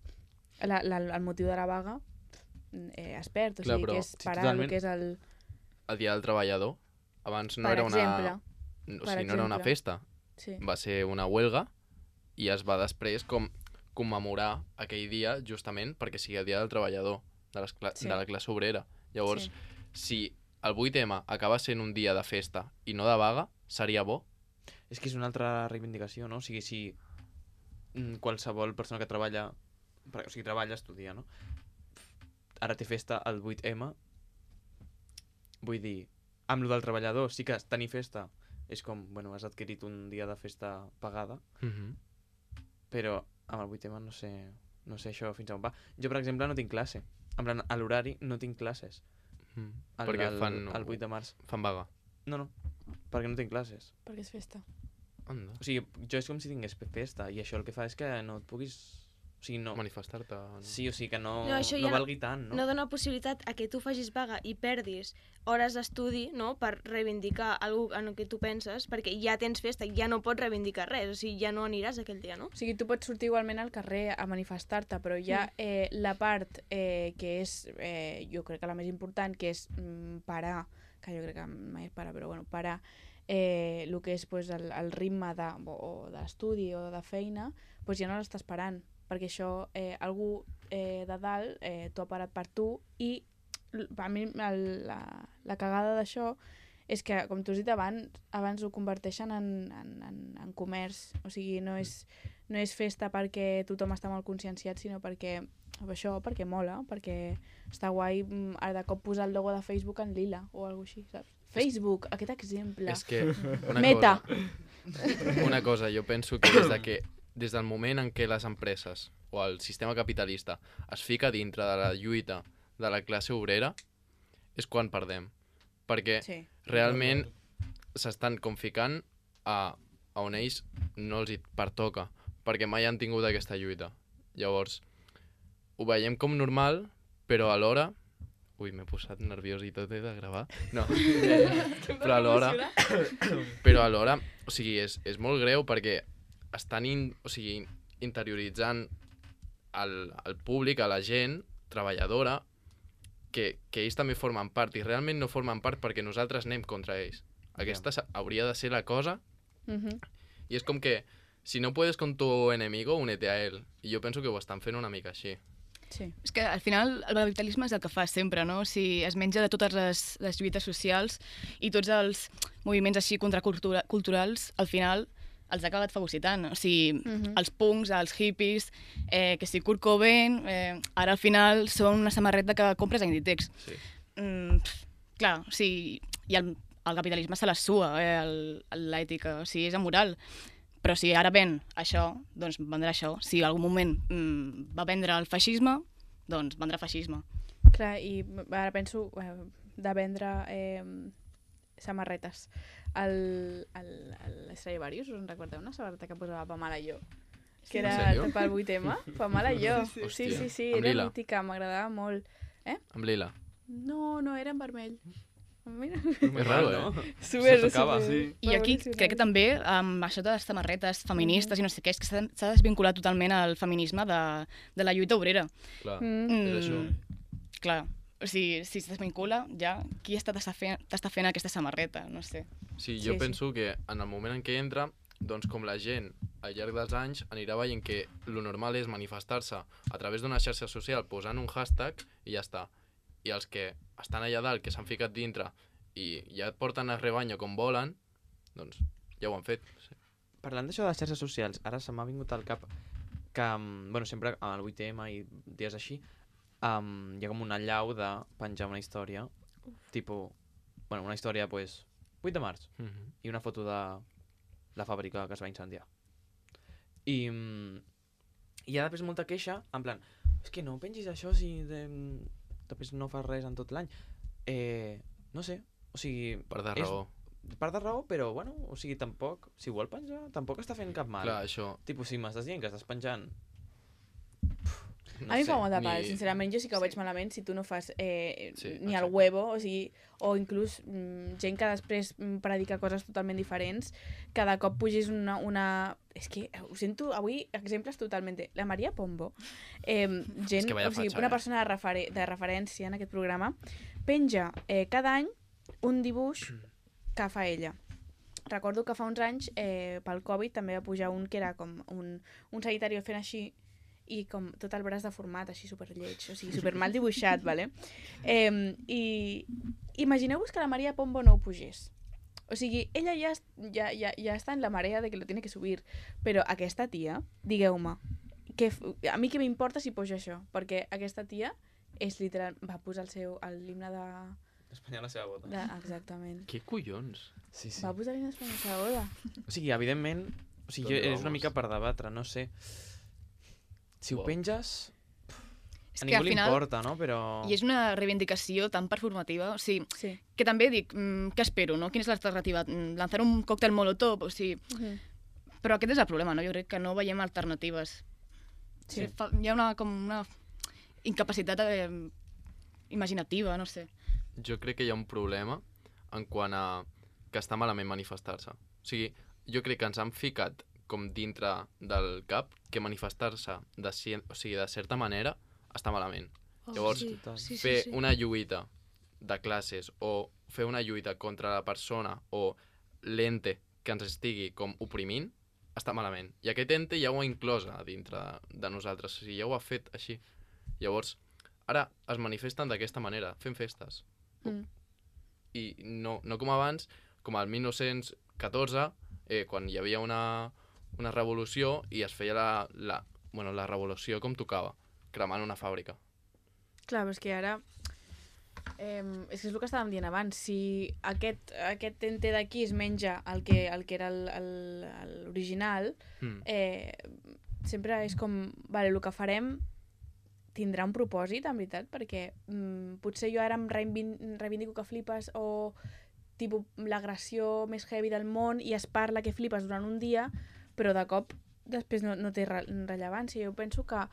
la, la, el motiu de la vaga eh, es perd, o Clar, sigui, però que és sí, parar totalment. el que és el... El dia del treballador, abans no Per era exemple, una... O per sigui, no era una exemple. festa. Sí. Va ser una huelga i es va després com commemorar aquell dia justament perquè sigui el dia del treballador, de, les cla Sí. de la classe obrera. Llavors, Sí. si el vuit ema acaba sent un dia de festa i no de vaga, seria bo. És que és una altra reivindicació, no? O sigui, si mm, qualsevol persona que treballa, o sigui, treballa, estudia, no? Ara té festa el vuit ema, vull dir, amb lo del treballador sí que tenir festa és com, bueno, has adquirit un dia de festa pagada, Mm -hmm. però amb el vuit ema no sé, no sé això fins on va. Jo, per exemple, no tinc classe. En plan, a l'horari no tinc classes. Mm. El, Perquè el, fan, el vuit de març. fan vaga. No, no, perquè no tinc classes. Perquè és festa. Anda. O sigui, jo és com si tingués fe- festa i això el que fa és que no et puguis... O sigui, no... Manifestar-te. No? Sí, o sigui, que no, No, això no ja valgui tant, no? No dona possibilitat a que tu facis vaga i perdis hores d'estudi, no?, per reivindicar alguna en el que tu penses, perquè ja tens festa, ja no pots reivindicar res, o sigui, ja no aniràs aquell dia, no? O sigui, tu pots sortir igualment al carrer a manifestar-te, però hi ha eh, la part eh, que és, eh, jo crec que la més important, que és mm, parar, que jo crec que mai es para, però bueno, parar eh, el que és pues, el, el ritme de, o d'estudi o de feina, pues ja no l'estàs parant, perquè això, eh, algú eh, de dalt eh, t'ho ha parat per tu i a mi el, la, la cagada d'això és que, com tu has dit abans, abans ho converteixen en, en, en, en comerç, o sigui, no és, no és festa perquè tothom està molt conscienciat, sinó perquè això, perquè mola, perquè està guai ara de cop posar el logo de Facebook en lila o alguna cosa així, saps? Facebook, aquest exemple. És que una Meta. cosa, una cosa, jo penso que des de que des del moment en què les empreses o el sistema capitalista es fica dintre de la lluita de la classe obrera, és quan perdem. Perquè Sí. realment s'estan com ficant a, a on ells no els hi pertoca, perquè mai han tingut aquesta lluita. Llavors, ho veiem com normal, però alhora... Ui, m'he posat nerviós i tot, he de gravar. No, però alhora... Però alhora, o sigui, és, és molt greu perquè estan in, o sigui, interioritzant al, al públic, a la gent treballadora, que, que ells també formen part, i realment no formen part perquè nosaltres anem contra ells. Aquesta yeah. hauria de ser la cosa, Uh-huh. i és com que si no puedes con tu enemigo, únete a él. I jo penso que ho estan fent una mica així. Sí. És que al final el capitalisme és el que fa sempre, no? O sigui, es menja de totes les, les lluites socials i tots els moviments així contraculturals, al final els ha acabat fagocitant. O sigui, Mhm. els punks, els hippies, eh, que si Kurt Cobain, eh, ara al final són una samarreta que compres a Inditex. Sí. Mm, pff, clar, o sigui, i el, el capitalisme se la sua, eh, el- l'ètica, o sigui, és amoral. Però si ara ven això, doncs vendrà això. Si en algun moment mm, va vendre el feixisme, doncs vendrà feixisme. Clar, i ara penso eh, de vendre eh, samarretes. El, el, el Stradivarius, us en recordeu una samarreta que posava Pamela Jo? Que En era sèrio? pel vuit eme? Pamela Jo. Sí, sí, Hòstia. sí, sí, Amb era lila. mítica, m'agradava molt. Amb lila. No, no, era en vermell. Mira. És raro, eh? Super, Se tocava, super. sí. I aquí Evolucionant. crec que també amb això de les samarretes feministes i no sé què, és que s'ha s'ha desvinculat totalment al feminisme de, de la lluita obrera. Clar, Mm. és això. Clar, o sigui, si es desvincula, ja qui està t'està fent, t'està fent aquesta samarreta? No sé. Sí, Sí, jo sí. penso que en el moment en què entra, doncs com la gent al llarg dels anys anirà veient que lo normal és manifestar-se a través d'una xarxa social posant un hashtag i ja està. I els que estan allà dalt, que s'han ficat dintre i ja et porten a rebanyo com volen, doncs ja ho han fet. Sí. Parlant d'això de les xarxes socials, ara se m'ha vingut al cap que, mm, bueno, sempre al vuit eme i dies així, um, hi ha com una allau de penjar una història, tipus, bueno, una història, pues, vuit de març, Mm -hmm. i una foto de la fàbrica que es va incendiar. I, mm, i hi ha després molta queixa, en plan, és que no pengis això si de, després no fas res en tot l'any. Eh, no sé, o sigui... Per de és- raó. Per de raó, però, bueno, o sigui, tampoc, si vol penjar, tampoc està fent cap mal. Clar, això... Tipus, si m'estàs dient que estàs penjant... No A mi em sé. fa molta ni- pal, sincerament, jo sí que ho Sí. veig malament si tu no fas eh, Sí, ni el exacte. huevo, o sigui, o inclús mm, gent que després mm, predica coses totalment diferents, cada cop pugis una... una... És que ho sento, avui, exemples totalment... La Maria Pombo, eh, gent, que vaya o sigui, fatxa, una eh? persona de, referen de referència en aquest programa, penja eh, cada any un dibuix que fa ella. Recordo que fa uns anys, eh, pel Covid, també va pujar un que era com un, un sanitari fent així, i com tot el braç deformat, així superlleig, o sigui, super mal dibuixat, vale? Eh, I imagineu-vos que la Maria Pombo no ho pugés. O sigui, ella ja, ja, ja, ja està en la marea de que lo tiene que subir, però aquesta tia, digueu-me, que f- a mi què m'importa si posa això? Perquè aquesta tia és literal, va posar el seu, l'himne de, Espanya la seva bota. de... Exactament. Què collons? Sí, sí. Va posar l'himne d'Espanya a la seva boda. O sigui, evidentment, o sigui, ¿Dónde jo, és vamos? una mica per debatre, no sé. Si ho Wow. penges, És a que ningú al li final... importa, no? Però... I és una reivindicació tan performativa, o sigui, Sí. que també dic, mm, què espero, no? Quina és l'alternativa? Mm, Lanzar un còctel molotov, o sigui... Uh -huh. Però aquest és el problema, no? Jo crec que no veiem alternatives. Sí. Fa, hi ha una, com una incapacitat eh, imaginativa, no sé. Jo crec que hi ha un problema en quant a que està malament manifestar-se. O sigui, jo crec que ens han ficat com dintre del cap que manifestar-se de, ci- o sigui, de certa manera està malament. Oh, Llavors, sí. total. Sí, sí, fer sí. una lluita de classes o fer una lluita contra la persona o l'ente que ens estigui com oprimint està malament. I aquest ente ja ho ha inclòs a dintre de, de nosaltres, o sigui, ja ho ha fet així. Llavors, ara es manifesten d'aquesta manera, fent festes. Mm. I no, no com abans, com al mil nou-cents catorze, eh, quan hi havia una, una revolució i es feia la, la, bueno, la revolució com tocava, cremant una fàbrica. Clar, però és que ara... Eh, és que és el que estàvem dient abans. Si aquest, aquest ente d'aquí es menja el que, el que era el- el- el- l'original, Mm. eh, sempre és com... Vale, el que farem tindrà un propòsit, en veritat, perquè mm, potser jo ara em reivin- reivindico que flipes o tipus l'agressió més heavy del món i es parla que flipes durant un dia, però de cop després no, no té re rellevància. Jo penso que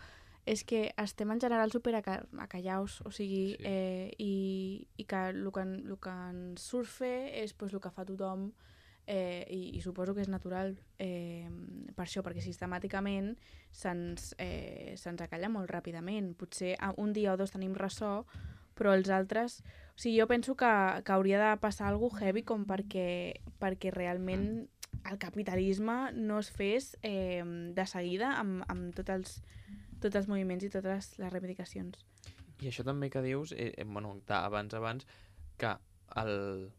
és que estem en general super aca acallaus, o sigui, Sí. eh, i, i que el que, el que ens surt fer és pues, el que fa tothom, eh, i, i suposo que és natural eh, per això, perquè sistemàticament se'ns eh, se acalla molt ràpidament. Potser a- un dia o dos tenim ressò, però els altres... O sigui, jo penso que, que hauria de passar alguna cosa heavy com perquè, perquè realment el capitalisme no es fes eh, de seguida amb, amb tots els, tots els moviments i totes les reivindicacions. I això també que dius, eh, eh, bueno, abans abans, que el,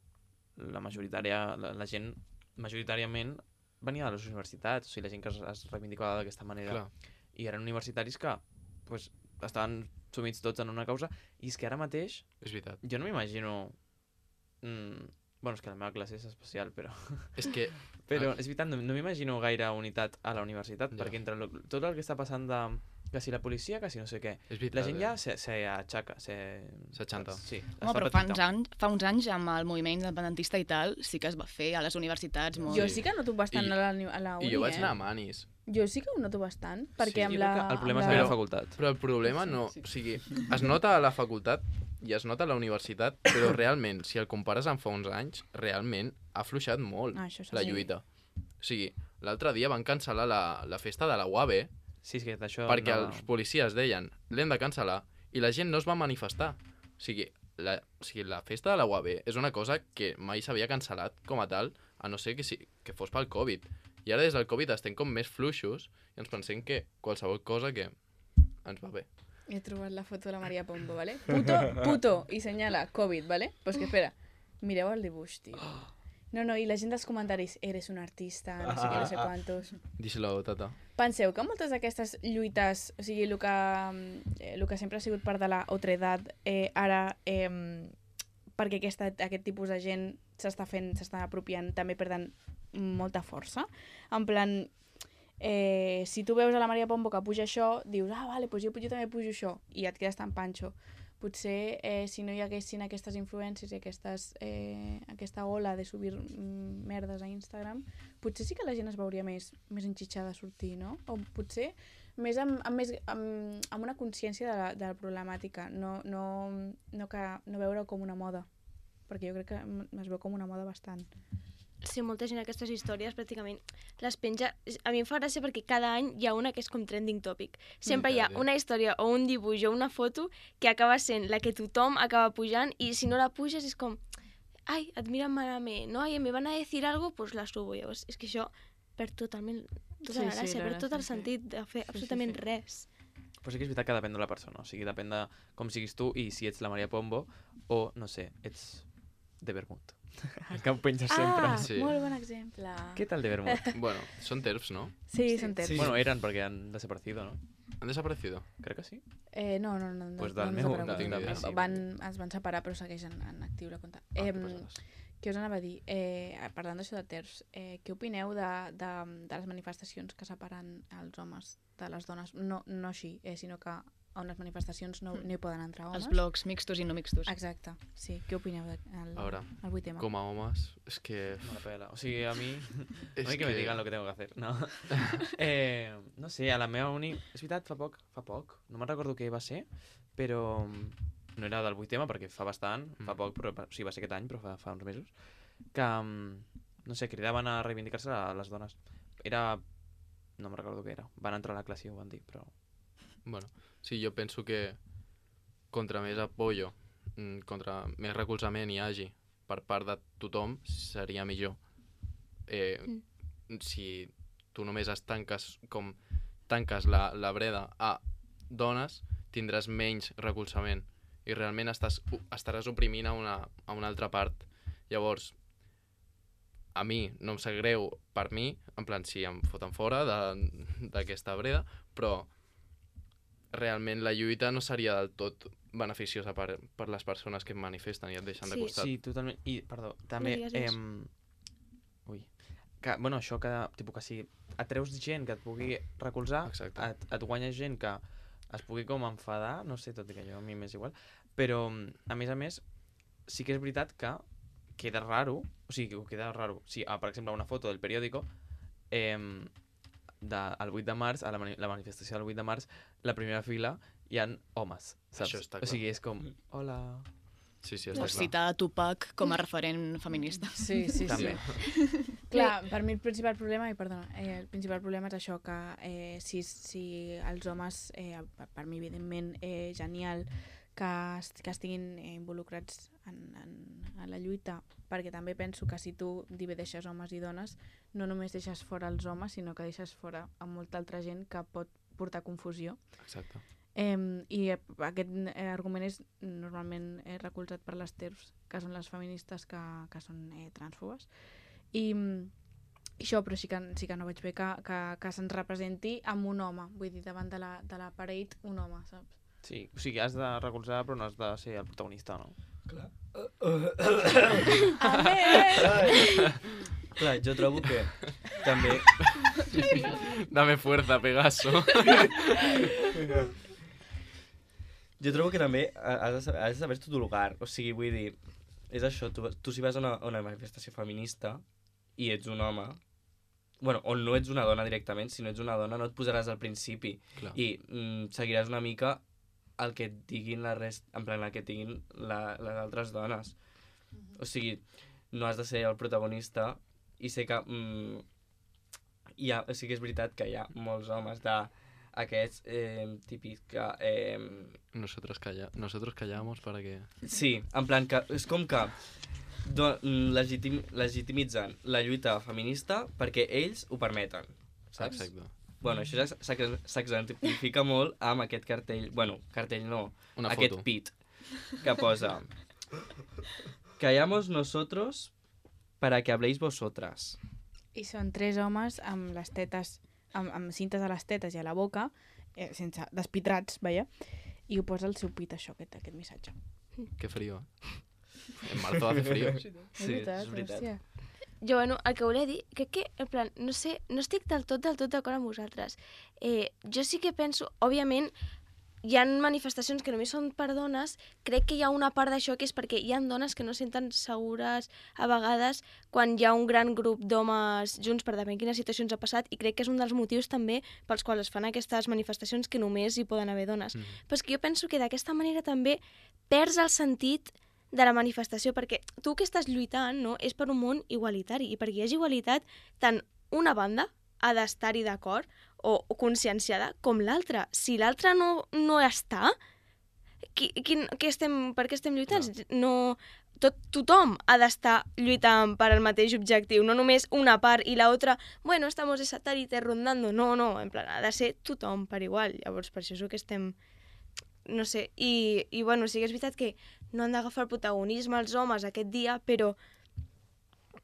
la majoritària, la, la gent majoritàriament venia de les universitats, o sigui, la gent que es, es reivindicava d'aquesta manera. Clar. I eren universitaris que pues, estaven sumits tots en una causa, i és que ara mateix És veritat. jo no m'imagino... Mm, bueno, és que la meva classe és especial, però... És que... Però és veritat, no, no m'imagino gaire unitat a la universitat, Ja. perquè entre lo, tot el que està passant de... Que si la policia, que si no sé què... És veritat, La gent ja eh? se, se aixaca, se... S'aixanta. Sí, es Home, fa però fa petita. uns, anys, fa uns anys amb el moviment independentista i tal, sí que es va fer a les universitats molt... Jo sí que noto bastant I- a la, uni- a la uni, I jo vaig eh? anar a Manis. Jo sí que ho noto bastant, perquè Sí, amb Jo la... crec que el problema és amb la Però- meva facultat. Però el problema no... O sigui, es nota a la facultat i es nota a la universitat, però realment, si el compares amb fa uns anys, realment ha afluixat molt Ah, això la sí. lluita. O sigui, l'altre dia van cancel·lar la, la festa de la U A B Sí, és que d'això... perquè no... els policies deien l'hem de cancel·lar i la gent no es va manifestar. O sigui, la, o sigui, la festa de la U A B és una cosa que mai s'havia cancel·lat com a tal, a no ser que, si, que fos pel Covid. I ara des del Covid estem com més fluixos i ens pensem que qualsevol cosa que ens va bé. He trobat la foto de la Maria Pombo, ¿vale? Puto, puto, i senyala COVID, ¿vale? Pues que espera, mireu el dibuix, tio. No, no, i la gent dels comentaris, eres un artista, no sé què, no sé quantos. Díselo, tata. Penseu que moltes d'aquestes lluites, o sigui, el que, eh, el que sempre ha sigut part de la otredad, eh, ara, eh, perquè aquesta, aquest tipus de gent s'està fent, s'està apropiant, també perden molta força. En plan, eh, si tu veus a la Maria Pombo que puja això, dius, ah, vale, doncs jo, jo també pujo això, i et quedes tan panxo. Potser eh, si no hi haguessin aquestes influències i aquestes, eh, aquesta ola de subir mm, merdes a Instagram, potser sí que la gent es veuria més, més enxitxada a sortir, no? O potser més amb, amb, més, amb, amb una consciència de la, de la problemàtica, no, no, no, que, no veure com una moda, perquè jo crec que m- es veu com una moda bastant. Sí, molta gent aquestes històries pràcticament les penja... A mi em fa gràcia perquè cada any hi ha una que és com trending topic. Sempre hi ha Veritat, eh? una història o un dibuix o una foto que acaba sent la que tothom acaba pujant i si no la puges és com ai, et miren malament, no? Ai, me van a decir algo, pues la subo. Llavors, és que això perd totalment tota Sí, la sí, gràcia, la perd gràcia, tot el sí. sentit de fer Sí, sí, absolutament sí. res. Però sí que és veritat que depèn de la persona, o sigui, depèn de com siguis tu i si ets la Maria Pombo o, no sé, ets de vermut. Que ho penges sempre. Ah, Sí. molt bon exemple. Què tal de vermut? Bueno, són terps, no? Sí, són terps. Sí. Bueno, eren perquè han desaparecido, ¿no? Han desaparecido. Crec que sí. Eh, no, no, no. Pues no, del no meu- ens no tinc ni idea. sí. van, es van separar però segueixen en actiu la compte. Ah, Eh, què pesades. què us anava a dir? Eh, parlant d'això de terç, eh, què opineu de, de, de les manifestacions que separen els homes de les dones? No, no així, eh, sinó que a unes manifestacions no, no hi poden entrar homes. Els blocs mixtos i no mixtos. Exacte, sí. Què opineu del A veure, vuit ema? com a homes, és que... Me la pela. O sigui, a mi... És a mi que, me digan lo que tengo que hacer, no? eh, no sé, a la meva uni... És veritat, fa poc, fa poc, no me'n recordo què va ser, però no era del vuit ema perquè fa bastant, mm. fa poc, però o sigui, va ser aquest any, però fa, fa uns mesos, que, no sé, cridaven a reivindicar-se a les dones. Era... no me'n recordo què era. Van entrar a la classe i ho van dir, però... Bueno, sí, jo penso que contra més apoyo, contra més recolzament hi hagi per part de tothom, seria millor. Eh, mm. Si tu només es tanques com tanques la, la breda a dones, tindràs menys recolzament i realment estàs, estaràs oprimint a una, a una altra part. Llavors, a mi no em sap greu per mi, en plan, si em foten fora d'aquesta breda, però realment la lluita no seria del tot beneficiosa per, per les persones que manifesten i et deixen Sí. de costat. Sí, totalment. I, perdó, també... No digues res. Eh, ui. Que, bueno, això que, tipus, que si atreus gent que et pugui recolzar, Exacte. et, et guanyes gent que es pugui com enfadar, no sé, tot i que jo a mi m'és igual, però, a més a més, sí que és veritat que queda raro, o sigui, que queda raro, si, ah, per exemple, una foto del periòdico, eh, de, el vuit de març, a la, mani la manifestació del vuit de març, la primera fila hi ha homes, saps? Això està O clar. sigui, és com, hola... Sí, sí, està O clar. citar a Tupac com a referent feminista. Sí, sí, També. sí. Clar, per mi el principal problema, i perdona, eh, el principal problema és això, que eh, si, si els homes, eh, per, per mi evidentment eh, genial, que, est que estiguin eh, involucrats en, en, en la lluita, perquè també penso que si tu divideixes homes i dones, no només deixes fora els homes, sinó que deixes fora a molta altra gent que pot portar confusió. Exacte. Eh, I eh, aquest eh, argument és normalment eh, recolzat per les T E R Fs, que són les feministes que, que són eh, transfobes. I, i això, però sí que, sí que no veig bé que, que, que se'ns representi amb un home, vull dir, davant de la, de la parade, un home, saps? Sí, o sigui, has de recolzar però no has de ser el protagonista, no? Clar. A ver! Clar, jo trobo que també... Dame fuerza, Pegaso. Jo trobo que també has de saber, has de saber tu lugar. O sigui, vull dir, és això, tu, tu si vas a una, a una manifestació feminista i ets un home, bueno, o no ets una dona directament, si no ets una dona no et posaràs al principi. Clar. I mm, seguiràs una mica el que et diguin la rest, en plan, el que et diguin la, les altres dones. O sigui, no has de ser el protagonista i sé que mm, hi ha, sí que és veritat que hi ha molts homes de aquests eh, típics que... Eh, Nosotros, calla Nosotros callamos para que... sí, en plan que és com que do, legitim, legitimitzen la lluita feminista perquè ells ho permeten, saps? Exacte. Bueno, això ja s'exemplifica molt amb aquest cartell, bueno, cartell no, Una aquest foto. pit que posa callamos nosotros para que habléis vosotras. I són tres homes amb les tetes, amb, amb cintes a les tetes i a la boca, eh, sense despitrats, veia, i ho posa el seu pit, això, aquest, aquest missatge. Qué frío. En marzo hace frío. Sí, és veritat. hòstia. Jo, bueno, el que volia dir, que, que en plan, no sé, no estic del tot, del tot d'acord amb vosaltres. Eh, jo sí que penso, òbviament, hi ha manifestacions que només són per dones, crec que hi ha una part d'això que és perquè hi ha dones que no se senten segures a vegades quan hi ha un gran grup d'homes junts per davant quines situacions ha passat i crec que és un dels motius també pels quals es fan aquestes manifestacions que només hi poden haver dones. Mm. Però és que jo penso que d'aquesta manera també perds el sentit de la manifestació, perquè tu que estàs lluitant no, és per un món igualitari i perquè hi hagi igualitat tant una banda ha d'estar-hi d'acord o, o conscienciada com l'altra. Si l'altra no, no està, qui, quin, què estem, per què estem lluitant? No, tot, tothom ha d'estar lluitant per al mateix objectiu, no només una part i l'altra, bueno, estamos de satélite rondando. No, no, en plan, ha de ser tothom per igual. Llavors, per això és el que estem... No sé, i, i bueno, sí que és veritat que no han d'agafar el protagonisme els homes aquest dia, però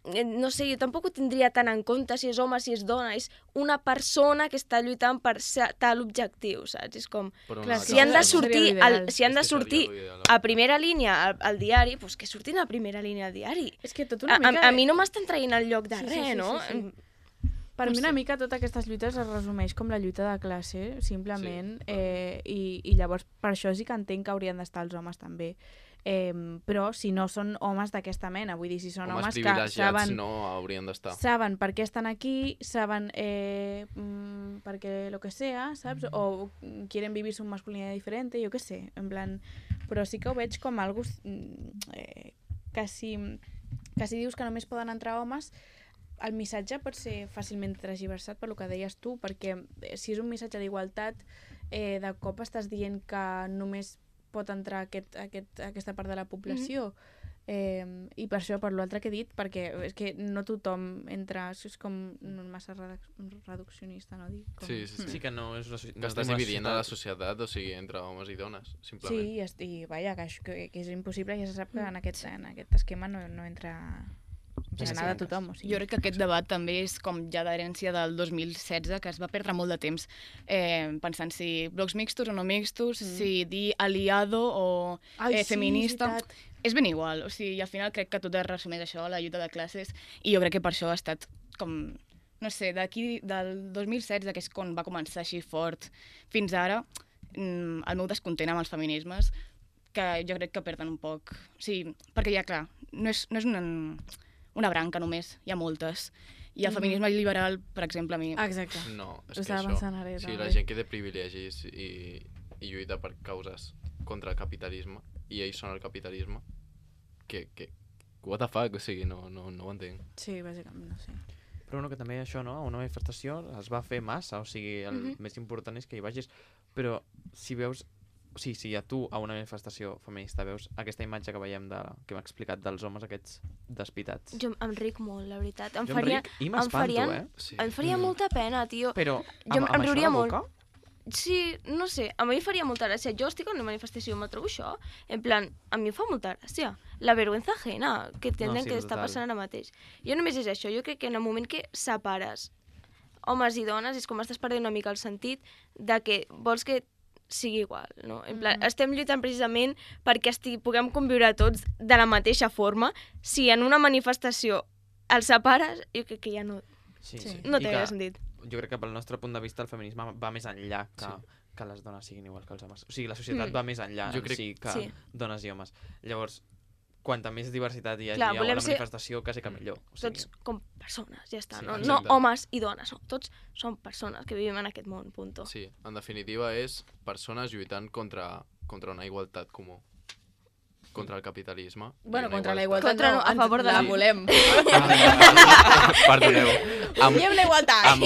no sé, jo tampoc ho tindria tan en compte si és home, si és dona, és una persona que està lluitant per tal objectiu, saps? És com, Però clar, no, si han de no. sortir, Seria al, l'ideal. si han de És que seria sortir l'ideal, a primera línia al, al diari, doncs que surtin a primera línia al diari. És que tot A, una a, mica... a mi no m'estan traient el lloc de Sí, sí, res, sí, no? sí, sí. Per No mi una sé. mica totes aquestes lluites es resumeix com la lluita de classe, simplement, Sí. eh, i, i llavors per això sí que entenc que haurien d'estar els homes també. Eh, però si no són homes d'aquesta mena, vull dir, si són Homes homes que privilegiats saben, no haurien d'estar. saben per què estan aquí, saben eh, mm, perquè lo que sea, saps? O quieren vivir su masculinidad diferente, jo què sé, en plan... Però sí que ho veig com algo mm, eh, que si, que si dius que només poden entrar homes, el missatge pot ser fàcilment transversat per lo que deies tu, perquè eh, si és un missatge d'igualtat, eh, de cop estàs dient que només pot entrar aquest, aquest, aquesta part de la població. Mm-hmm. eh, I per això, per l'altre que he dit, perquè és que no tothom entra, és com massa reduc reduccionista, no dic? Com... Sí, sí, sí. Sí que no és una soci- Que no estàs tenim una dividint a la societat- societat, o sigui, entre homes i dones, simplement. Sí, i, est- i vaja, que, això- que, que és impossible, ja se sap que en aquest, en aquest esquema no, no entra Sí, nada sí. de tothom. O sigui. Jo crec que aquest debat també és com ja d'herència del dos mil setze, que es va perdre molt de temps eh, pensant si blocs mixtos o no mixtos, mm. si dir aliado o Ai, eh, sí, feminista. és veritat. És ben igual, o sigui, al final crec que tot es resumeix a això, la lluita de classes, i jo crec que per això ha estat com, no sé, d'aquí, del dos mil setze, que és quan va començar així fort, fins ara, mm, el meu descontent amb els feminismes, que jo crec que perden un poc. O sigui, perquè ja, clar, no és, no és una, una branca només, hi ha moltes. I el Mhm. feminisme liberal, per exemple, a mi... Exacte. No, és Ho que estava això... pensant ara, O sigui, també. la gent que té privilegis i, i lluita per causes contra el capitalisme, i ells són el capitalisme, que... que what the fuck? O sigui, no, no, no ho entenc. Sí, bàsicament, no sé. Però bueno, que també això, no? Una manifestació es va fer massa, o sigui, el Mhm. més important és que hi vagis. Però si veus... O sigui, si a tu a una manifestació feminista veus aquesta imatge que veiem, de, que m'ha explicat dels homes aquests despitats. Jo em ric molt, la veritat. Em Jo faria, em ric i em m'espanto, farien- eh? Sí. em faria molta pena, tio. Però Jo amb, em amb això a riuria la molt. boca... Sí, no sé, a mi em faria molta gràcia. Jo estic en una manifestació i me trobo això. En plan, a mi em fa molta gràcia. La vergüenza ajena que tenen sí, que està total. passant ara mateix. Jo només és això. Jo crec que en el moment que separes homes i dones és com estàs perdent una mica el sentit de que vols que sigui igual, no? En plan, Mhm. estem lluitant precisament perquè esti, puguem conviure tots de la mateixa forma. Si en una manifestació els separes, jo crec que ja no, Sí, Sí. sí. no I té que gaire sentit. Jo crec que pel nostre punt de vista el feminisme va més enllà que, Sí. que les dones siguin igual que els homes. O sigui, la societat Mm. va més enllà Jo en crec- si que Sí. dones i homes. Llavors, quanta més diversitat hi hagi Clar, a volem la ser manifestació, quasi que millor. O sigui, Tots com persones, ja està. Sí, no, no exacte. homes i dones, no. Tots som persones que vivim en aquest món, punto. Sí, en definitiva és persones lluitant contra, contra una igualtat comú. Contra el capitalisme. i Bueno, una contra la igualtat. igualtat Contra no, a ens favor de la la- volem. Perdoneu. Amb, Volem la igualtat. amb,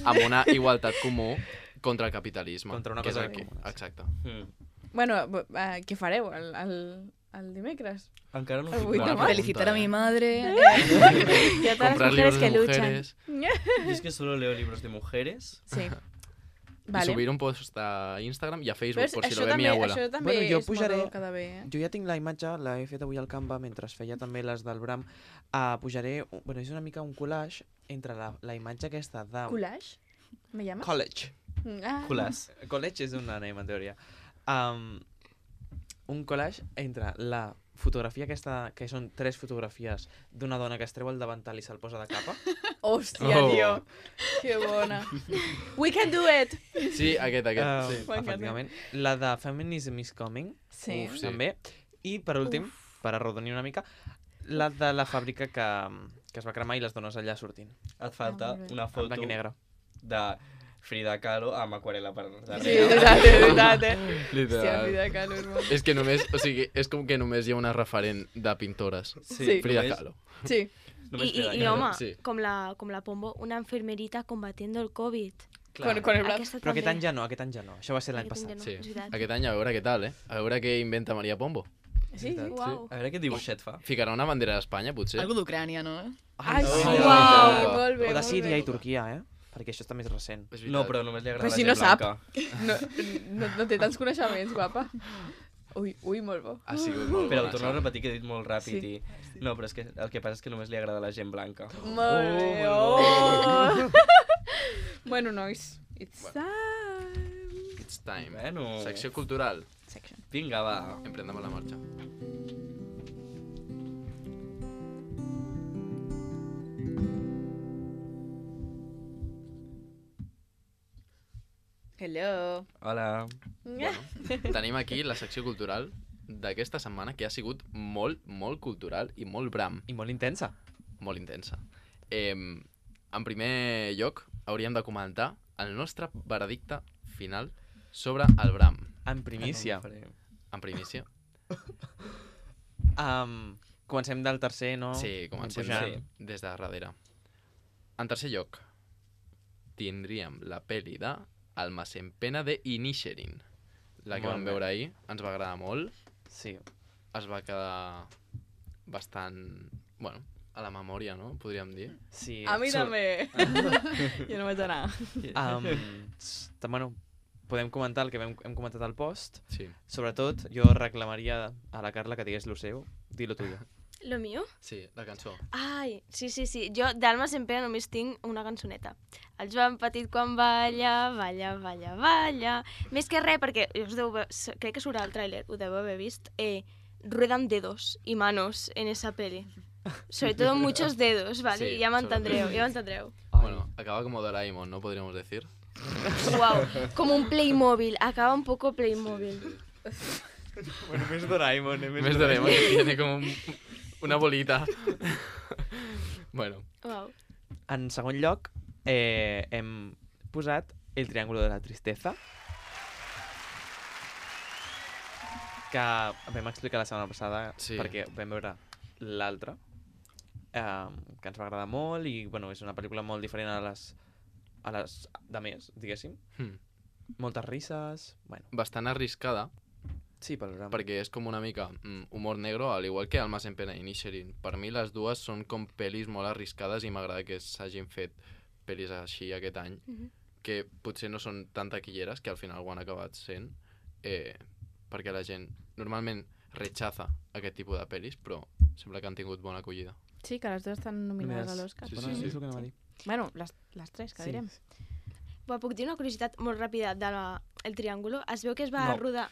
amb una igualtat comú contra el capitalisme. Contra una que és cosa el que- comuna, sí. Exacte. Mm. Bueno, uh, què fareu el, el, el dimecres? Encara no El ho vuit de fico. març. Felicitar a mi madre. Y a todas las Comprar mujeres libros que de luchan. mujeres. Yo es que solo leo libros de mujeres. Sí. I Vale. subir un post a Instagram i a Facebook, Però por si això lo ve mi també, abuela. això també Bueno, jo és pujaré- molt que de bé, eh? Jo ja tinc la imatge, l'he fet avui al Canva mentre feia també les del Bram. Uh, pujaré, bueno, és una mica un collage entre la, la imatge aquesta de... Collage? ¿Me llamas? College. Ah. Culàs. College és un anem, en teoria. Um, un collage entre la fotografia aquesta, que són tres fotografies d'una dona que es treu el davantal i se'l posa de capa. Hòstia, Oh. tio. Que bona. We can do it! Sí, aquest, aquest. Uh, sí. M'encanta. efectivament. La de Feminism is Coming, Sí. Uf, sí. també. I, per últim, per arrodonir una mica, la de la fàbrica que, que es va cremar i les dones allà sortint. Et falta Ah, molt bé. una En foto blanc i negre. de Frida Kahlo amb aquarela per darrere. Sí, és veritat, és veritat, eh? Hòstia, Literal. Frida Kahlo és molt... És que només, o sigui, és com que només hi ha una referent de pintores. Sí. Frida només- Kahlo. Sí. només I, Frida i, i Kahlo. home, sí. com, la, com la Pombo, una enfermerita combatiendo el COVID. Clar. Con, con el braç. Aquesta Però aquest també. any ja no, aquest any ja no. Això va ser l'any Aquest any passat. ja Sí. és veritat. Aquest any a veure què tal, eh? A veure què inventa Maria Pombo. Sí, sí. Uau. A veure quin dibuixet fa. Ficarà una bandera d'Espanya, potser? Algo d'Ucrània, no? Ai, sí, Oh. uau, molt bé, O de molt Síria bé. i Turquia, eh? Perquè això està més recent. És No, veritat. però només li agrada Però la si gent no sap. blanca. No, no, no té tants coneixements, guapa. Ui, ui, molt bo. Ha sigut molt Però ho bona, torno a Sara. repetir que he dit molt ràpid Sí. i... No, però és que el que passa és que només li agrada la gent blanca. Molt bé, molt oh! Bueno, nois, it's time. It's time. Bueno. Secció cultural. Section. Vinga, va. Emprendem a la marxa. Hello. Hola. Bueno, tenim aquí la secció cultural d'aquesta setmana, que ha sigut molt, molt cultural i molt bram. I molt intensa. Molt intensa. Eh, en primer lloc, hauríem de comentar el nostre veredicte final sobre el bram. En primícia. En primícia. Um, comencem del tercer, no? Sí, comencem Pujant. sí, des de darrere. En tercer lloc, tindríem la pel·li de Almas en pena de Inisherin. La que Molt vam bé. veure ahir, ens va agradar molt. Sí. Es va quedar bastant, bueno, a la memòria, no? Podríem dir. Sí. A mi Sur- també. Jo no vaig anar. Um, s- bueno, podem comentar el que hem, hem comentat al post. Sí. Sobretot, jo reclamaria a la Carla que digués lo seu. Dilo tuyo. Lo mío? Sí, la cançó. Ai, sí, sí, sí. Jo d'Almas en pena només tinc una cançoneta. El Joan Petit quan balla, balla, balla, balla... Més que res, perquè us deu, haver- s- crec que surt al tràiler, ho deu haver vist, eh, ruedan dedos y manos en esa peli. Sobre todo muchos dedos, ¿vale? Sí, ya me entendreu, sobretot. ya me entendreu. Bueno, acaba como Doraemon, ¿no? Podríamos decir. Wow, como un Playmobil, acaba un poco Playmobil. Bueno, més Doraemon, eh? Més Doraemon, que tiene como un- una bolita. Bueno, Wow. En segon lloc, eh, hem posat El triángulo de la tristeza, que vam explicar la setmana passada Sí. perquè vam veure l'altra, eh, que ens va agradar molt i bueno, és una pel·lícula molt diferent a les, a les de més, diguéssim. hmm. Moltes risses, bueno, bastant arriscada, sí, pel drama. perquè és com una mica mm, humor negro, al igual que Almas en pena i Inisherin. Per mi les dues són com pel·lis molt arriscades i m'agrada que s'hagin fet pel·lis així aquest any, Mhm. que potser no són tan taquilleres, que al final ho han acabat sent, eh, perquè la gent normalment rechaza aquest tipus de pel·lis, però sembla que han tingut bona acollida. Sí, que les dues estan nominades a l'Òscar. Sí, Sí, sí, sí, sí. és el que anava a dir. Bueno, les, les tres, que Sí. direm. Bueno, puc dir una curiositat molt ràpida de la, el Triángulo? Es veu que es va No. rodar...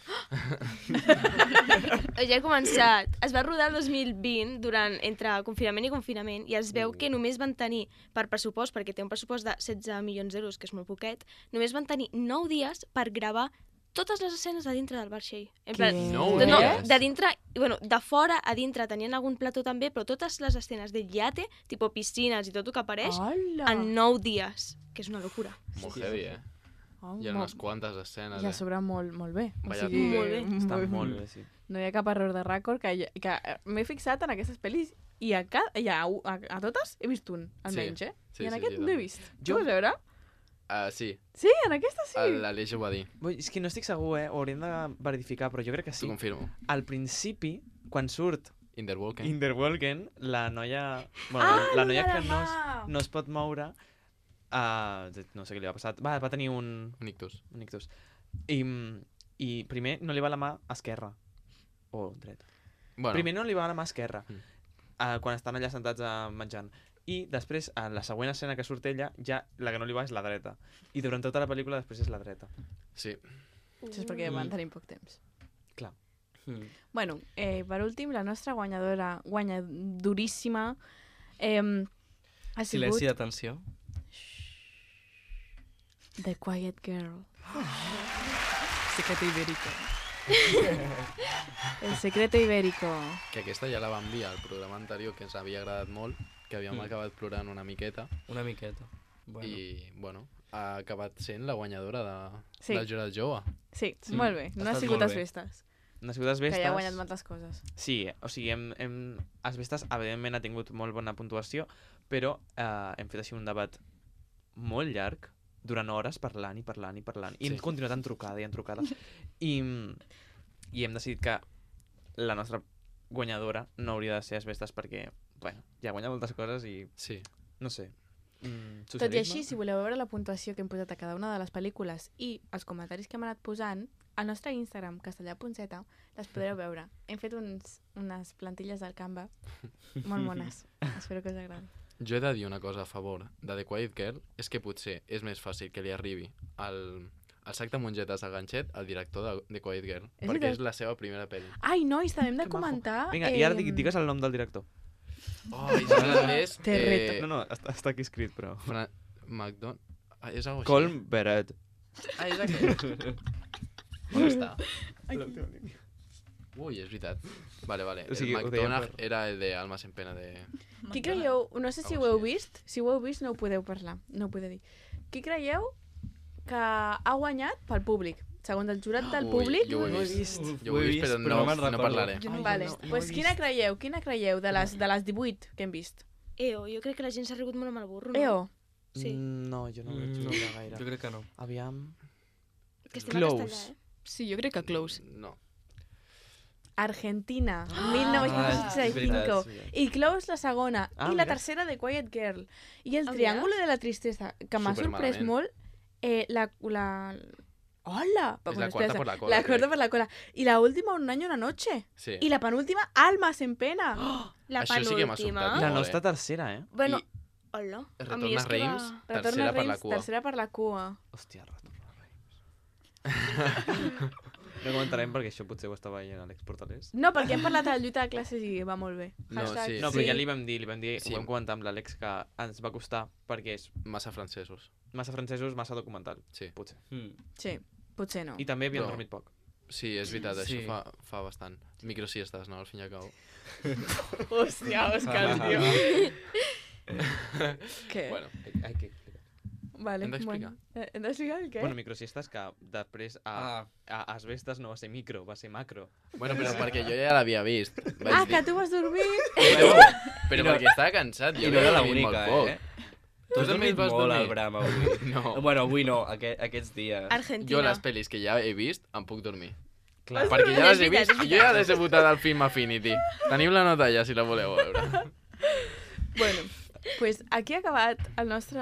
ja he començat. Es va rodar el dos mil vint durant, entre confinament i confinament i es veu que només van tenir, per pressupost, perquè té un pressupost de setze milions d'euros, que és molt poquet, només van tenir nou dies per gravar totes les escenes de dintre del vaixell. En plan, Què? Nou no, no, dies? de dintre, bueno, de fora a dintre tenien algun plató també, però totes les escenes del iate, tipus piscines i tot el que apareix, Hola! en nou dies, que és una locura. Molt sí, heavy, sí. eh? Oh, Hi ha mo- unes quantes escenes, I a eh? sobre molt, molt bé. Vaya o sigui, Molt bé. Està molt bé, sí. No hi ha cap error de rècord, que, hi- que eh, m'he fixat en aquestes pel·lis i a, ca, i a, a, a totes he vist un, almenys, eh? Sí, I en sí, aquest sí, no he també. vist. Jo- Jo... Vas veure? Uh, sí, Sí, en aquesta sí. l'Aleix ho va dir. Vull, és que no estic segur, eh? Ho hauríem de verificar, però jo crec que T'ho sí. confirmo. Al principi, quan surt Interwalking. Interwalken, la noia... Bueno, Ah, la lo noia de que la no es, mà! no es pot moure, uh, no sé què li va passar, va, va tenir un, Un ictus. un ictus. I, I primer no li va la mà esquerra, o dreta. Bueno, Primer no li va la mà esquerra, Mm. uh, quan estan allà sentats uh, menjant. I després, a la següent escena que surt ella, ja la que no li va és la dreta. I durant tota la pel·lícula després és la dreta. sí. Això és perquè van tenir poc temps. Clar. Mm. Bueno, eh, per últim, la nostra guanyadora, guanyadoríssima, eh, ha sigut Silenci d'atenció. The Quiet Girl. Secreto Ibérico. El Secreto Ibérico. Que aquesta ja la vam dir al programa anterior, que ens havia agradat molt, que havíem Mm. acabat plorant una miqueta, Una miqueta. Bueno. i, bueno, ha acabat sent la guanyadora de, Sí. del jurat jove. Sí, Sí, molt bé. No ha ha estat sigut molt les bé. festes, No ha sigut les que vestes. ja ha guanyat moltes coses. Sí, o sigui, hem, hem, Asbestes, evidentment, ha tingut molt bona puntuació, però eh, hem fet així un debat molt llarg, durant hores, parlant i parlant i parlant. I Sí. hem continuat en trucada i en trucada. I, I hem decidit que la nostra guanyadora no hauria de ser Asbestes perquè, bueno, ja guanya moltes coses i, Sí. no sé, mm, Tot i socialisme? així, si voleu veure la puntuació que hem posat a cada una de les pel·lícules i els comentaris que hem anat posant, al nostre Instagram, castellà.z, les podreu veure. Hem fet uns, unes plantilles del Canva molt mones. Espero que us agradi. Jo he de dir una cosa a favor de The Quiet Girl, és que potser és més fàcil que li arribi el, el sac de mongetes al ganxet al director de The Quiet Girl, És perquè veritat. és la seva primera pel·li. Ai, nois, també hem de Que majo. comentar... Vinga, i ara em, di- digues el nom del director. Oh, i en anglès... Te reto. Eh, No, no, està, està aquí escrit, però... Fra... McDon... Ah, és algo així. Colm Beret. Ah, és aquest. On està? Ui, és veritat. Vale, vale. O sigui, el ho dèiem McDonald's per- era el de Almas en Pena de... Qui creieu, no sé si ho heu Algo així. vist, si ho heu vist no ho podeu parlar, no ho podeu dir. Qui creieu que ha guanyat pel públic? Segons el jurat del Ui, públic? jo ho he No he vist. vist. Jo ho he vist, però no, me'n no recordo. parlaré. Jo no- Vale, no, no pues ho he quina vist. creieu, quina creieu de les, de les divuit que hem vist? Eo, jo crec que la gent s'ha rigut molt amb el burro, no? Eo, Sí. Mm, No, jo no ho vaig Mm, no. veure gaire. Jo crec que no. Aviam... Que estem a Close. castellà, eh? Sí, jo crec que close. No. Argentina, Ah, mil és nou-cents seixanta-cinc. veritat, sí. I Close la segona. Ah, I la mira. tercera de Quiet Girl. I el Ah, Triángulo de la Tristesa, que m'ha sorprès Supermalament. molt. Eh, la, la... Hola! És la quarta por la cola, La cuarta crec. por la cola. I la última, Un año, una noche. Sí. I la penúltima, Almas en pena. La Això sí que m'ha penúltima. sobtat. La Molt nostra bé. tercera, eh? Bueno, I hola. A mi Retorna és que Reims, va... Retorna tercera per la Reims, cua. tercera per la cua. Hòstia, retorna Reims. No comentarem perquè això potser ho estava veient a l'Àlex Portalés. No, perquè hem parlat de la lluita de classes i va molt bé. No, Hashtag sí. No, però ja li vam dir, li vam dir, Sí. ho vam comentar amb l'Àlex, que ens va costar perquè és Massa francesos. massa francesos, massa documental, Sí. potser. Mm. Sí, potser no. I també havíem Però- dormit poc. Sí, és veritat, Sí. això fa, fa bastant. Microsiestes, no? Al fin i al cabo. Hòstia, Òscar, tio. Què? Bueno, Ai, que... Vale, hem d'explicar. Bueno. Eh, Hem d'explicar el què? Bueno, microsiestes que després a, Ah, a Asbestes no va ser micro, va ser macro. bueno, però perquè jo ja l'havia vist. Vaig Ah, dir... que tu vas dormir? Però, però I no- perquè estava cansat. Jo I no havia era dormit l'única, molt poc. eh? Tu has també dormit vas molt dormir? al Bram avui. No. Bueno, avui no, aquest, aquests dies. Argentina. Jo les pel·lis que ja he vist em puc dormir. Clar. Perquè ja les he És veritat, vist. és Jo ja les he votat al Film Affinity. Teniu la nota ja, si la voleu veure. Bueno, pues aquí ha acabat el nostre...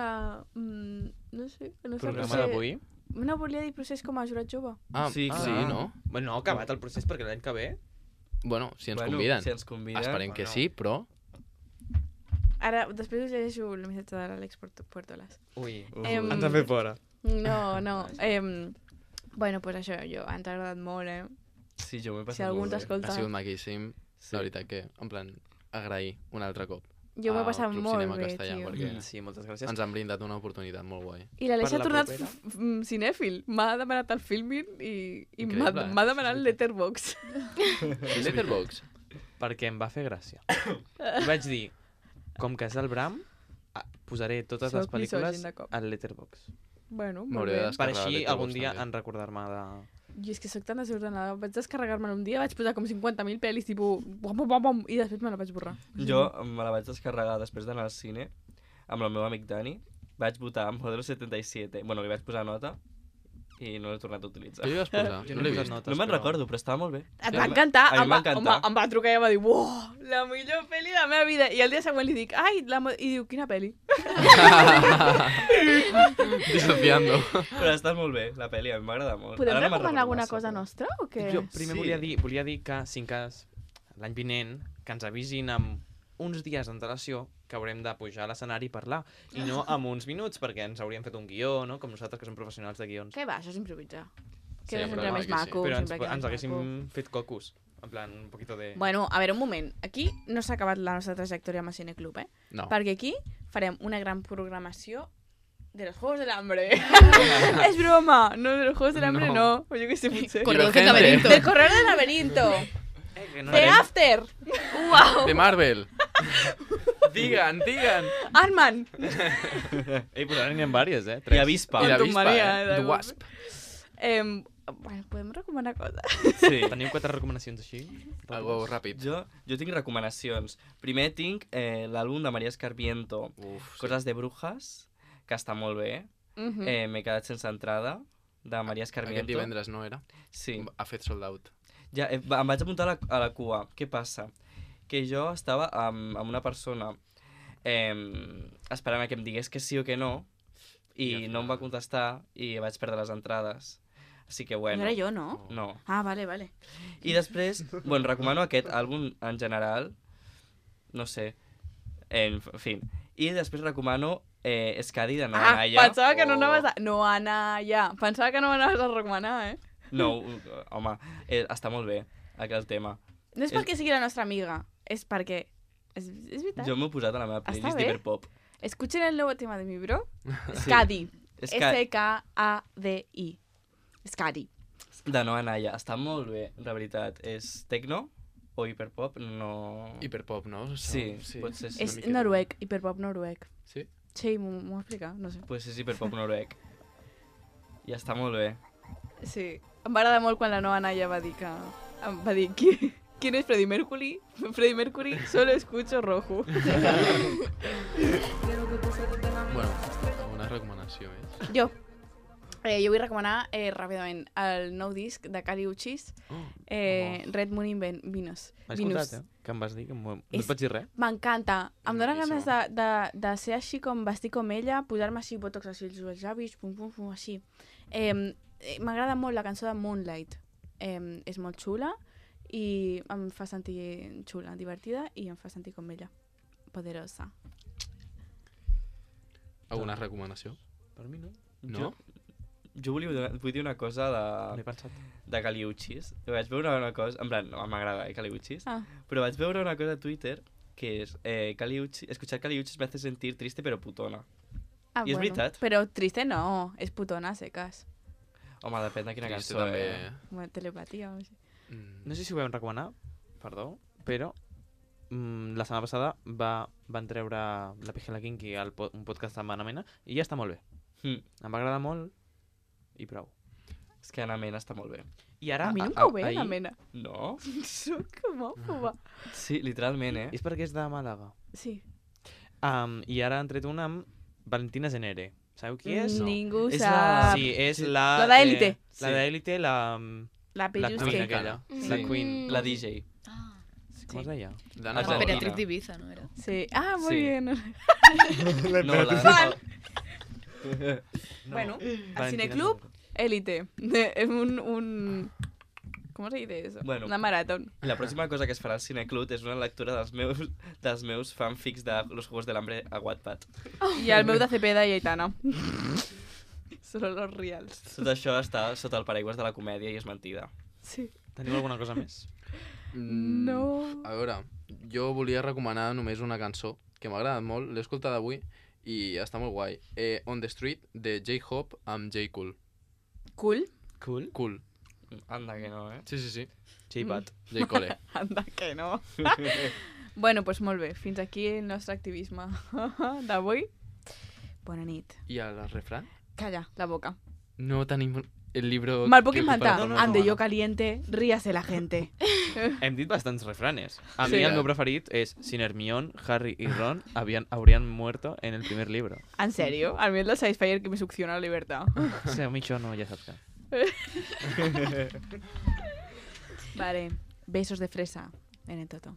Mm, no sé, el nostre Programa procés... d'avui. No volia dir procés com a jurat jove. Ah, Sí, sí, clar. no? Bueno, no ha acabat el procés perquè l'any que ve... Bueno, si ens Bueno, conviden. Si ens conviden. Esperem que bueno. sí, però... Ara, després us llegeixo el missatge de l'Àlex Puerto- Puertolas. Ui, Ui. Em, ens han fet fora. No, no. Eh, bueno, pues això, jo, ens ha agradat molt, eh? Sí, jo m'he Si passat algú molt ens bé. escolta... Ha sigut maquíssim. Sí. La veritat que, en plan, agrair un altre cop. Jo m'ho he al passat Club molt Cinema bé, Castellà, tio. perquè Mm, Sí, moltes gràcies. ens han brindat una oportunitat molt guai. I l'Aleix Per ha la tornat propera. f- f- cinèfil. M'ha demanat el filming i, i m'ha Increïble. m'ha demanat el Letterboxd. Letterboxd. Perquè em va fer gràcia. I vaig dir, com que és el Bram, ah, posaré totes les Soc misògin pel·lícules de cop. al Letterboxd. Bueno, molt M'hauré bé. de Per descarregar així Letterboxd algun dia també. en recordar-me de... Jo és que sóc tan desordenada. Vaig descarregar-me'l un dia, vaig posar com cinquanta mil pel·lis, tipus... Bom, bom, bom, bom, i després me la vaig borrar. Jo me la vaig descarregar després d'anar al cine amb el meu amic Dani. Vaig votar amb Modelo setanta-set. Bueno, li vaig posar nota i no l'he tornat a utilitzar. Què li vas posar? Jo No no l'he he posat vist. notes, No me'n però- recordo, però estava molt bé. Em Sí, va a mi- encantar, a mi em em va va, em, va, encantar. em va trucar i em va dir uau, la millor pel·li de la meva vida. I el dia següent li dic, ai, la mo-" i diu, quina pel·li? Dissociando. Però està molt bé, la pel·li, a mi m'agrada molt. Podem Ara no me'n recomanar recordo alguna massa, cosa però- nostra o què? Jo primer Sí. volia, dir, volia dir que, si en cas, l'any vinent, que ens avisin amb uns dies d'antelació que haurem de pujar a l'escenari i parlar, i no amb uns minuts, perquè ens hauríem fet un guió, no? Com nosaltres, que som professionals de guions. Què va, això és improvisar. Sí, Queda però sempre no, més aquí sí. maco. Però ens, sempre queda ens més haguéssim maco. fet cocos. En plan, un poquito de... Bueno, a veure, un moment. Aquí no s'ha acabat la nostra trajectòria amb el Cineclub, eh? No. Perquè aquí farem una gran programació de los Juegos del Hambre. És broma! No, de los Juegos del Hambre no. No. O jo què sé, potser. Corredor Divergente. del laberinto. Del Corredor del Laberinto. Eh, que no The anem- After. De Marvel. Digan, digan. Ant-Man. Ei, però ara n'hi ha diverses, eh? I Tres. Avispa. I la Quantum vispa, Mania, eh? de- The Wasp. Em, bueno, podem recomanar coses? Sí. Teniu quatre recomanacions així? Algo ràpid. Jo, jo tinc recomanacions. Primer tinc eh, l'àlbum de Maria Escarmiento, Uf, sí. Coses de Brujas, que està molt bé. Mhm. Eh, M'he quedat sense entrada, de Maria Escarmiento. Aquest divendres no era? Sí. Ha fet sold out. Ja, eh, va- em vaig apuntar a la, a la cua. Què passa? Que jo estava amb, amb una persona eh, esperant a que em digués que sí o que no, i, I al no em va final- contestar i vaig perdre les entrades. Així que, bueno... No era jo, no? No. Ah, vale, vale. I després, bueno, recomano aquest àlbum en general, no sé, en fi. I després recomano eh, Escadi de Noa Ah, Naya. pensava que no o- anaves a... No, Anna, ja. Pensava que no m'anaves a recomanar, eh? No, uh, home, eh, està molt bé, aquell tema. No és És- perquè sigui la nostra amiga, és perquè... És, és veritat. Jo m'ho he posat a la meva Està playlist bé. d'Hiperpop. Escuchen el nuevo tema de mi bro. Sí. Scadi. És que S K A D I. Scary. de Noa Naya està molt bé, la veritat. És tecno o hiperpop? No... Hiperpop, no? Això, Sí, potser sí. una És miqueta. noruec, hiperpop noruec. Sí? Sí, m'ho m'ho explica, no sé. Pues és hiperpop noruec. I està molt bé. Sí. Em va agradar molt quan la Noa Naya va dir que... Em va dir, qui, ¿quién es Freddie Mercury? Freddie Mercury, solo escucho rojo. Bueno, una recomanació més. Jo. Eh, jo vull recomanar eh, ràpidament el nou disc de Kali Uchis, Oh, eh, Red Moon in Ven Venus. M'has escoltat, eh? Que em vas dir? Que m'ho- no És- et vaig dir res? M'encanta. Em dóna Boníssim. ganes de, de, de ser així com vestir com ella, posar-me així botox així als llavis, pum, pum, pum, així. Eh, eh, M'agrada molt la cançó de Moonlight. Eh, és molt xula i em fa sentir xula, divertida i em fa sentir com ella. Poderosa. Alguna recomanació? Per mi no. No? Jo volia, donar- vull dir una cosa No he de, pensat. de Caliuchis. Vaig veure una cosa, en plan, no m'agrada eh, Caliuchis, Ah. però vaig veure una cosa a Twitter que és eh, Caliuchis, escuchar Caliuchis me hace sentir triste pero putona. Ah, I és veritat. Però triste no, és putona, secas. Home, depèn de quina Triste cançó, també. eh? Bueno, telepatia o així. Mm. No sé si ho vam recomanar, perdó, però mm, la setmana passada va, van treure la Pijela Kinky al po un podcast amb Anna Mena i ja està molt bé. Mm. Em va agradar molt i prou. És que Anna Mena està molt bé. I ara, A mi no em a- cau bé, ahir- la mena. No? Soc homòfoba. Sí, literalment, eh? És perquè és de Màlaga. Sí. Um, I ara han tret una amb Valentina Zenere. Sabeu qui és? Ningú És sap. la- Sí, és Sí. la... La d'Élite. Eh, la Sí. d'Élite, la... mm, La La Pellus Queen que... aquella. Mm. La Queen. La D J. Ah, Com es deia? D'Anna Ah, Paula. Valentina. Beatriz d'Ibiza, ¿no era? Sí. Ah, muy Sí. bien. No, la de... Fan. No. Bueno, al Valentina cineclub, Zenere. élite. Es un, un... ¿Cómo se dice eso? Bueno. Una maratón. I la pròxima cosa que es farà al Cineclub és una lectura dels meus, dels meus fanfics de Los Juegos del Hambre a Wattpad. Y al meu de Cepeda y Aitana. Solo los reals. Tot això està sota el paraigües de la comèdia i és mentida. Sí. Teniu alguna cosa més? Mm, No. A veure, jo volia recomanar només una cançó que m'ha agradat molt, l'he escoltada avui i està molt guai. Eh, On the Street, de J-Hope amb J. Cool. Cool. Cool. Cool. Anda, que no, eh? Sí, sí, sí. J-Pat. J. Cole. Anda, que no. Bueno, pues molt bé. Fins aquí el nostre activisme d'avui. Bona nit. I el refrán? Calla, la boca. No tenim el libro... Me'l puc que ocupa inventar. la no, toma. Ande no, yo no. caliente, ríase la gente. Hem dit bastants refranes. A Sí. mi el meu preferit és Sin Hermione, Harry y Ron habían, habrían muerto en el primer libro. ¿En serio? A mí es la Satisfyer que me succiona la libertad. O sea, a mi això no, ja saps que. Vale. Besos de fresa en el toto.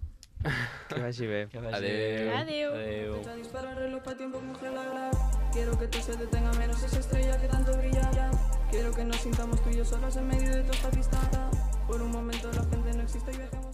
Que vagi bé. Que vagi Adeu. bé. Adeu. Adeu. Fecha dispara el reloj pa' tiempo congelar. Quiero que tú se detenga menos esa estrella que tanto brilla. Quiero que nos sintamos tú y yo solos en medio de toda esta pista. Por un momento la gente no existe y dejemos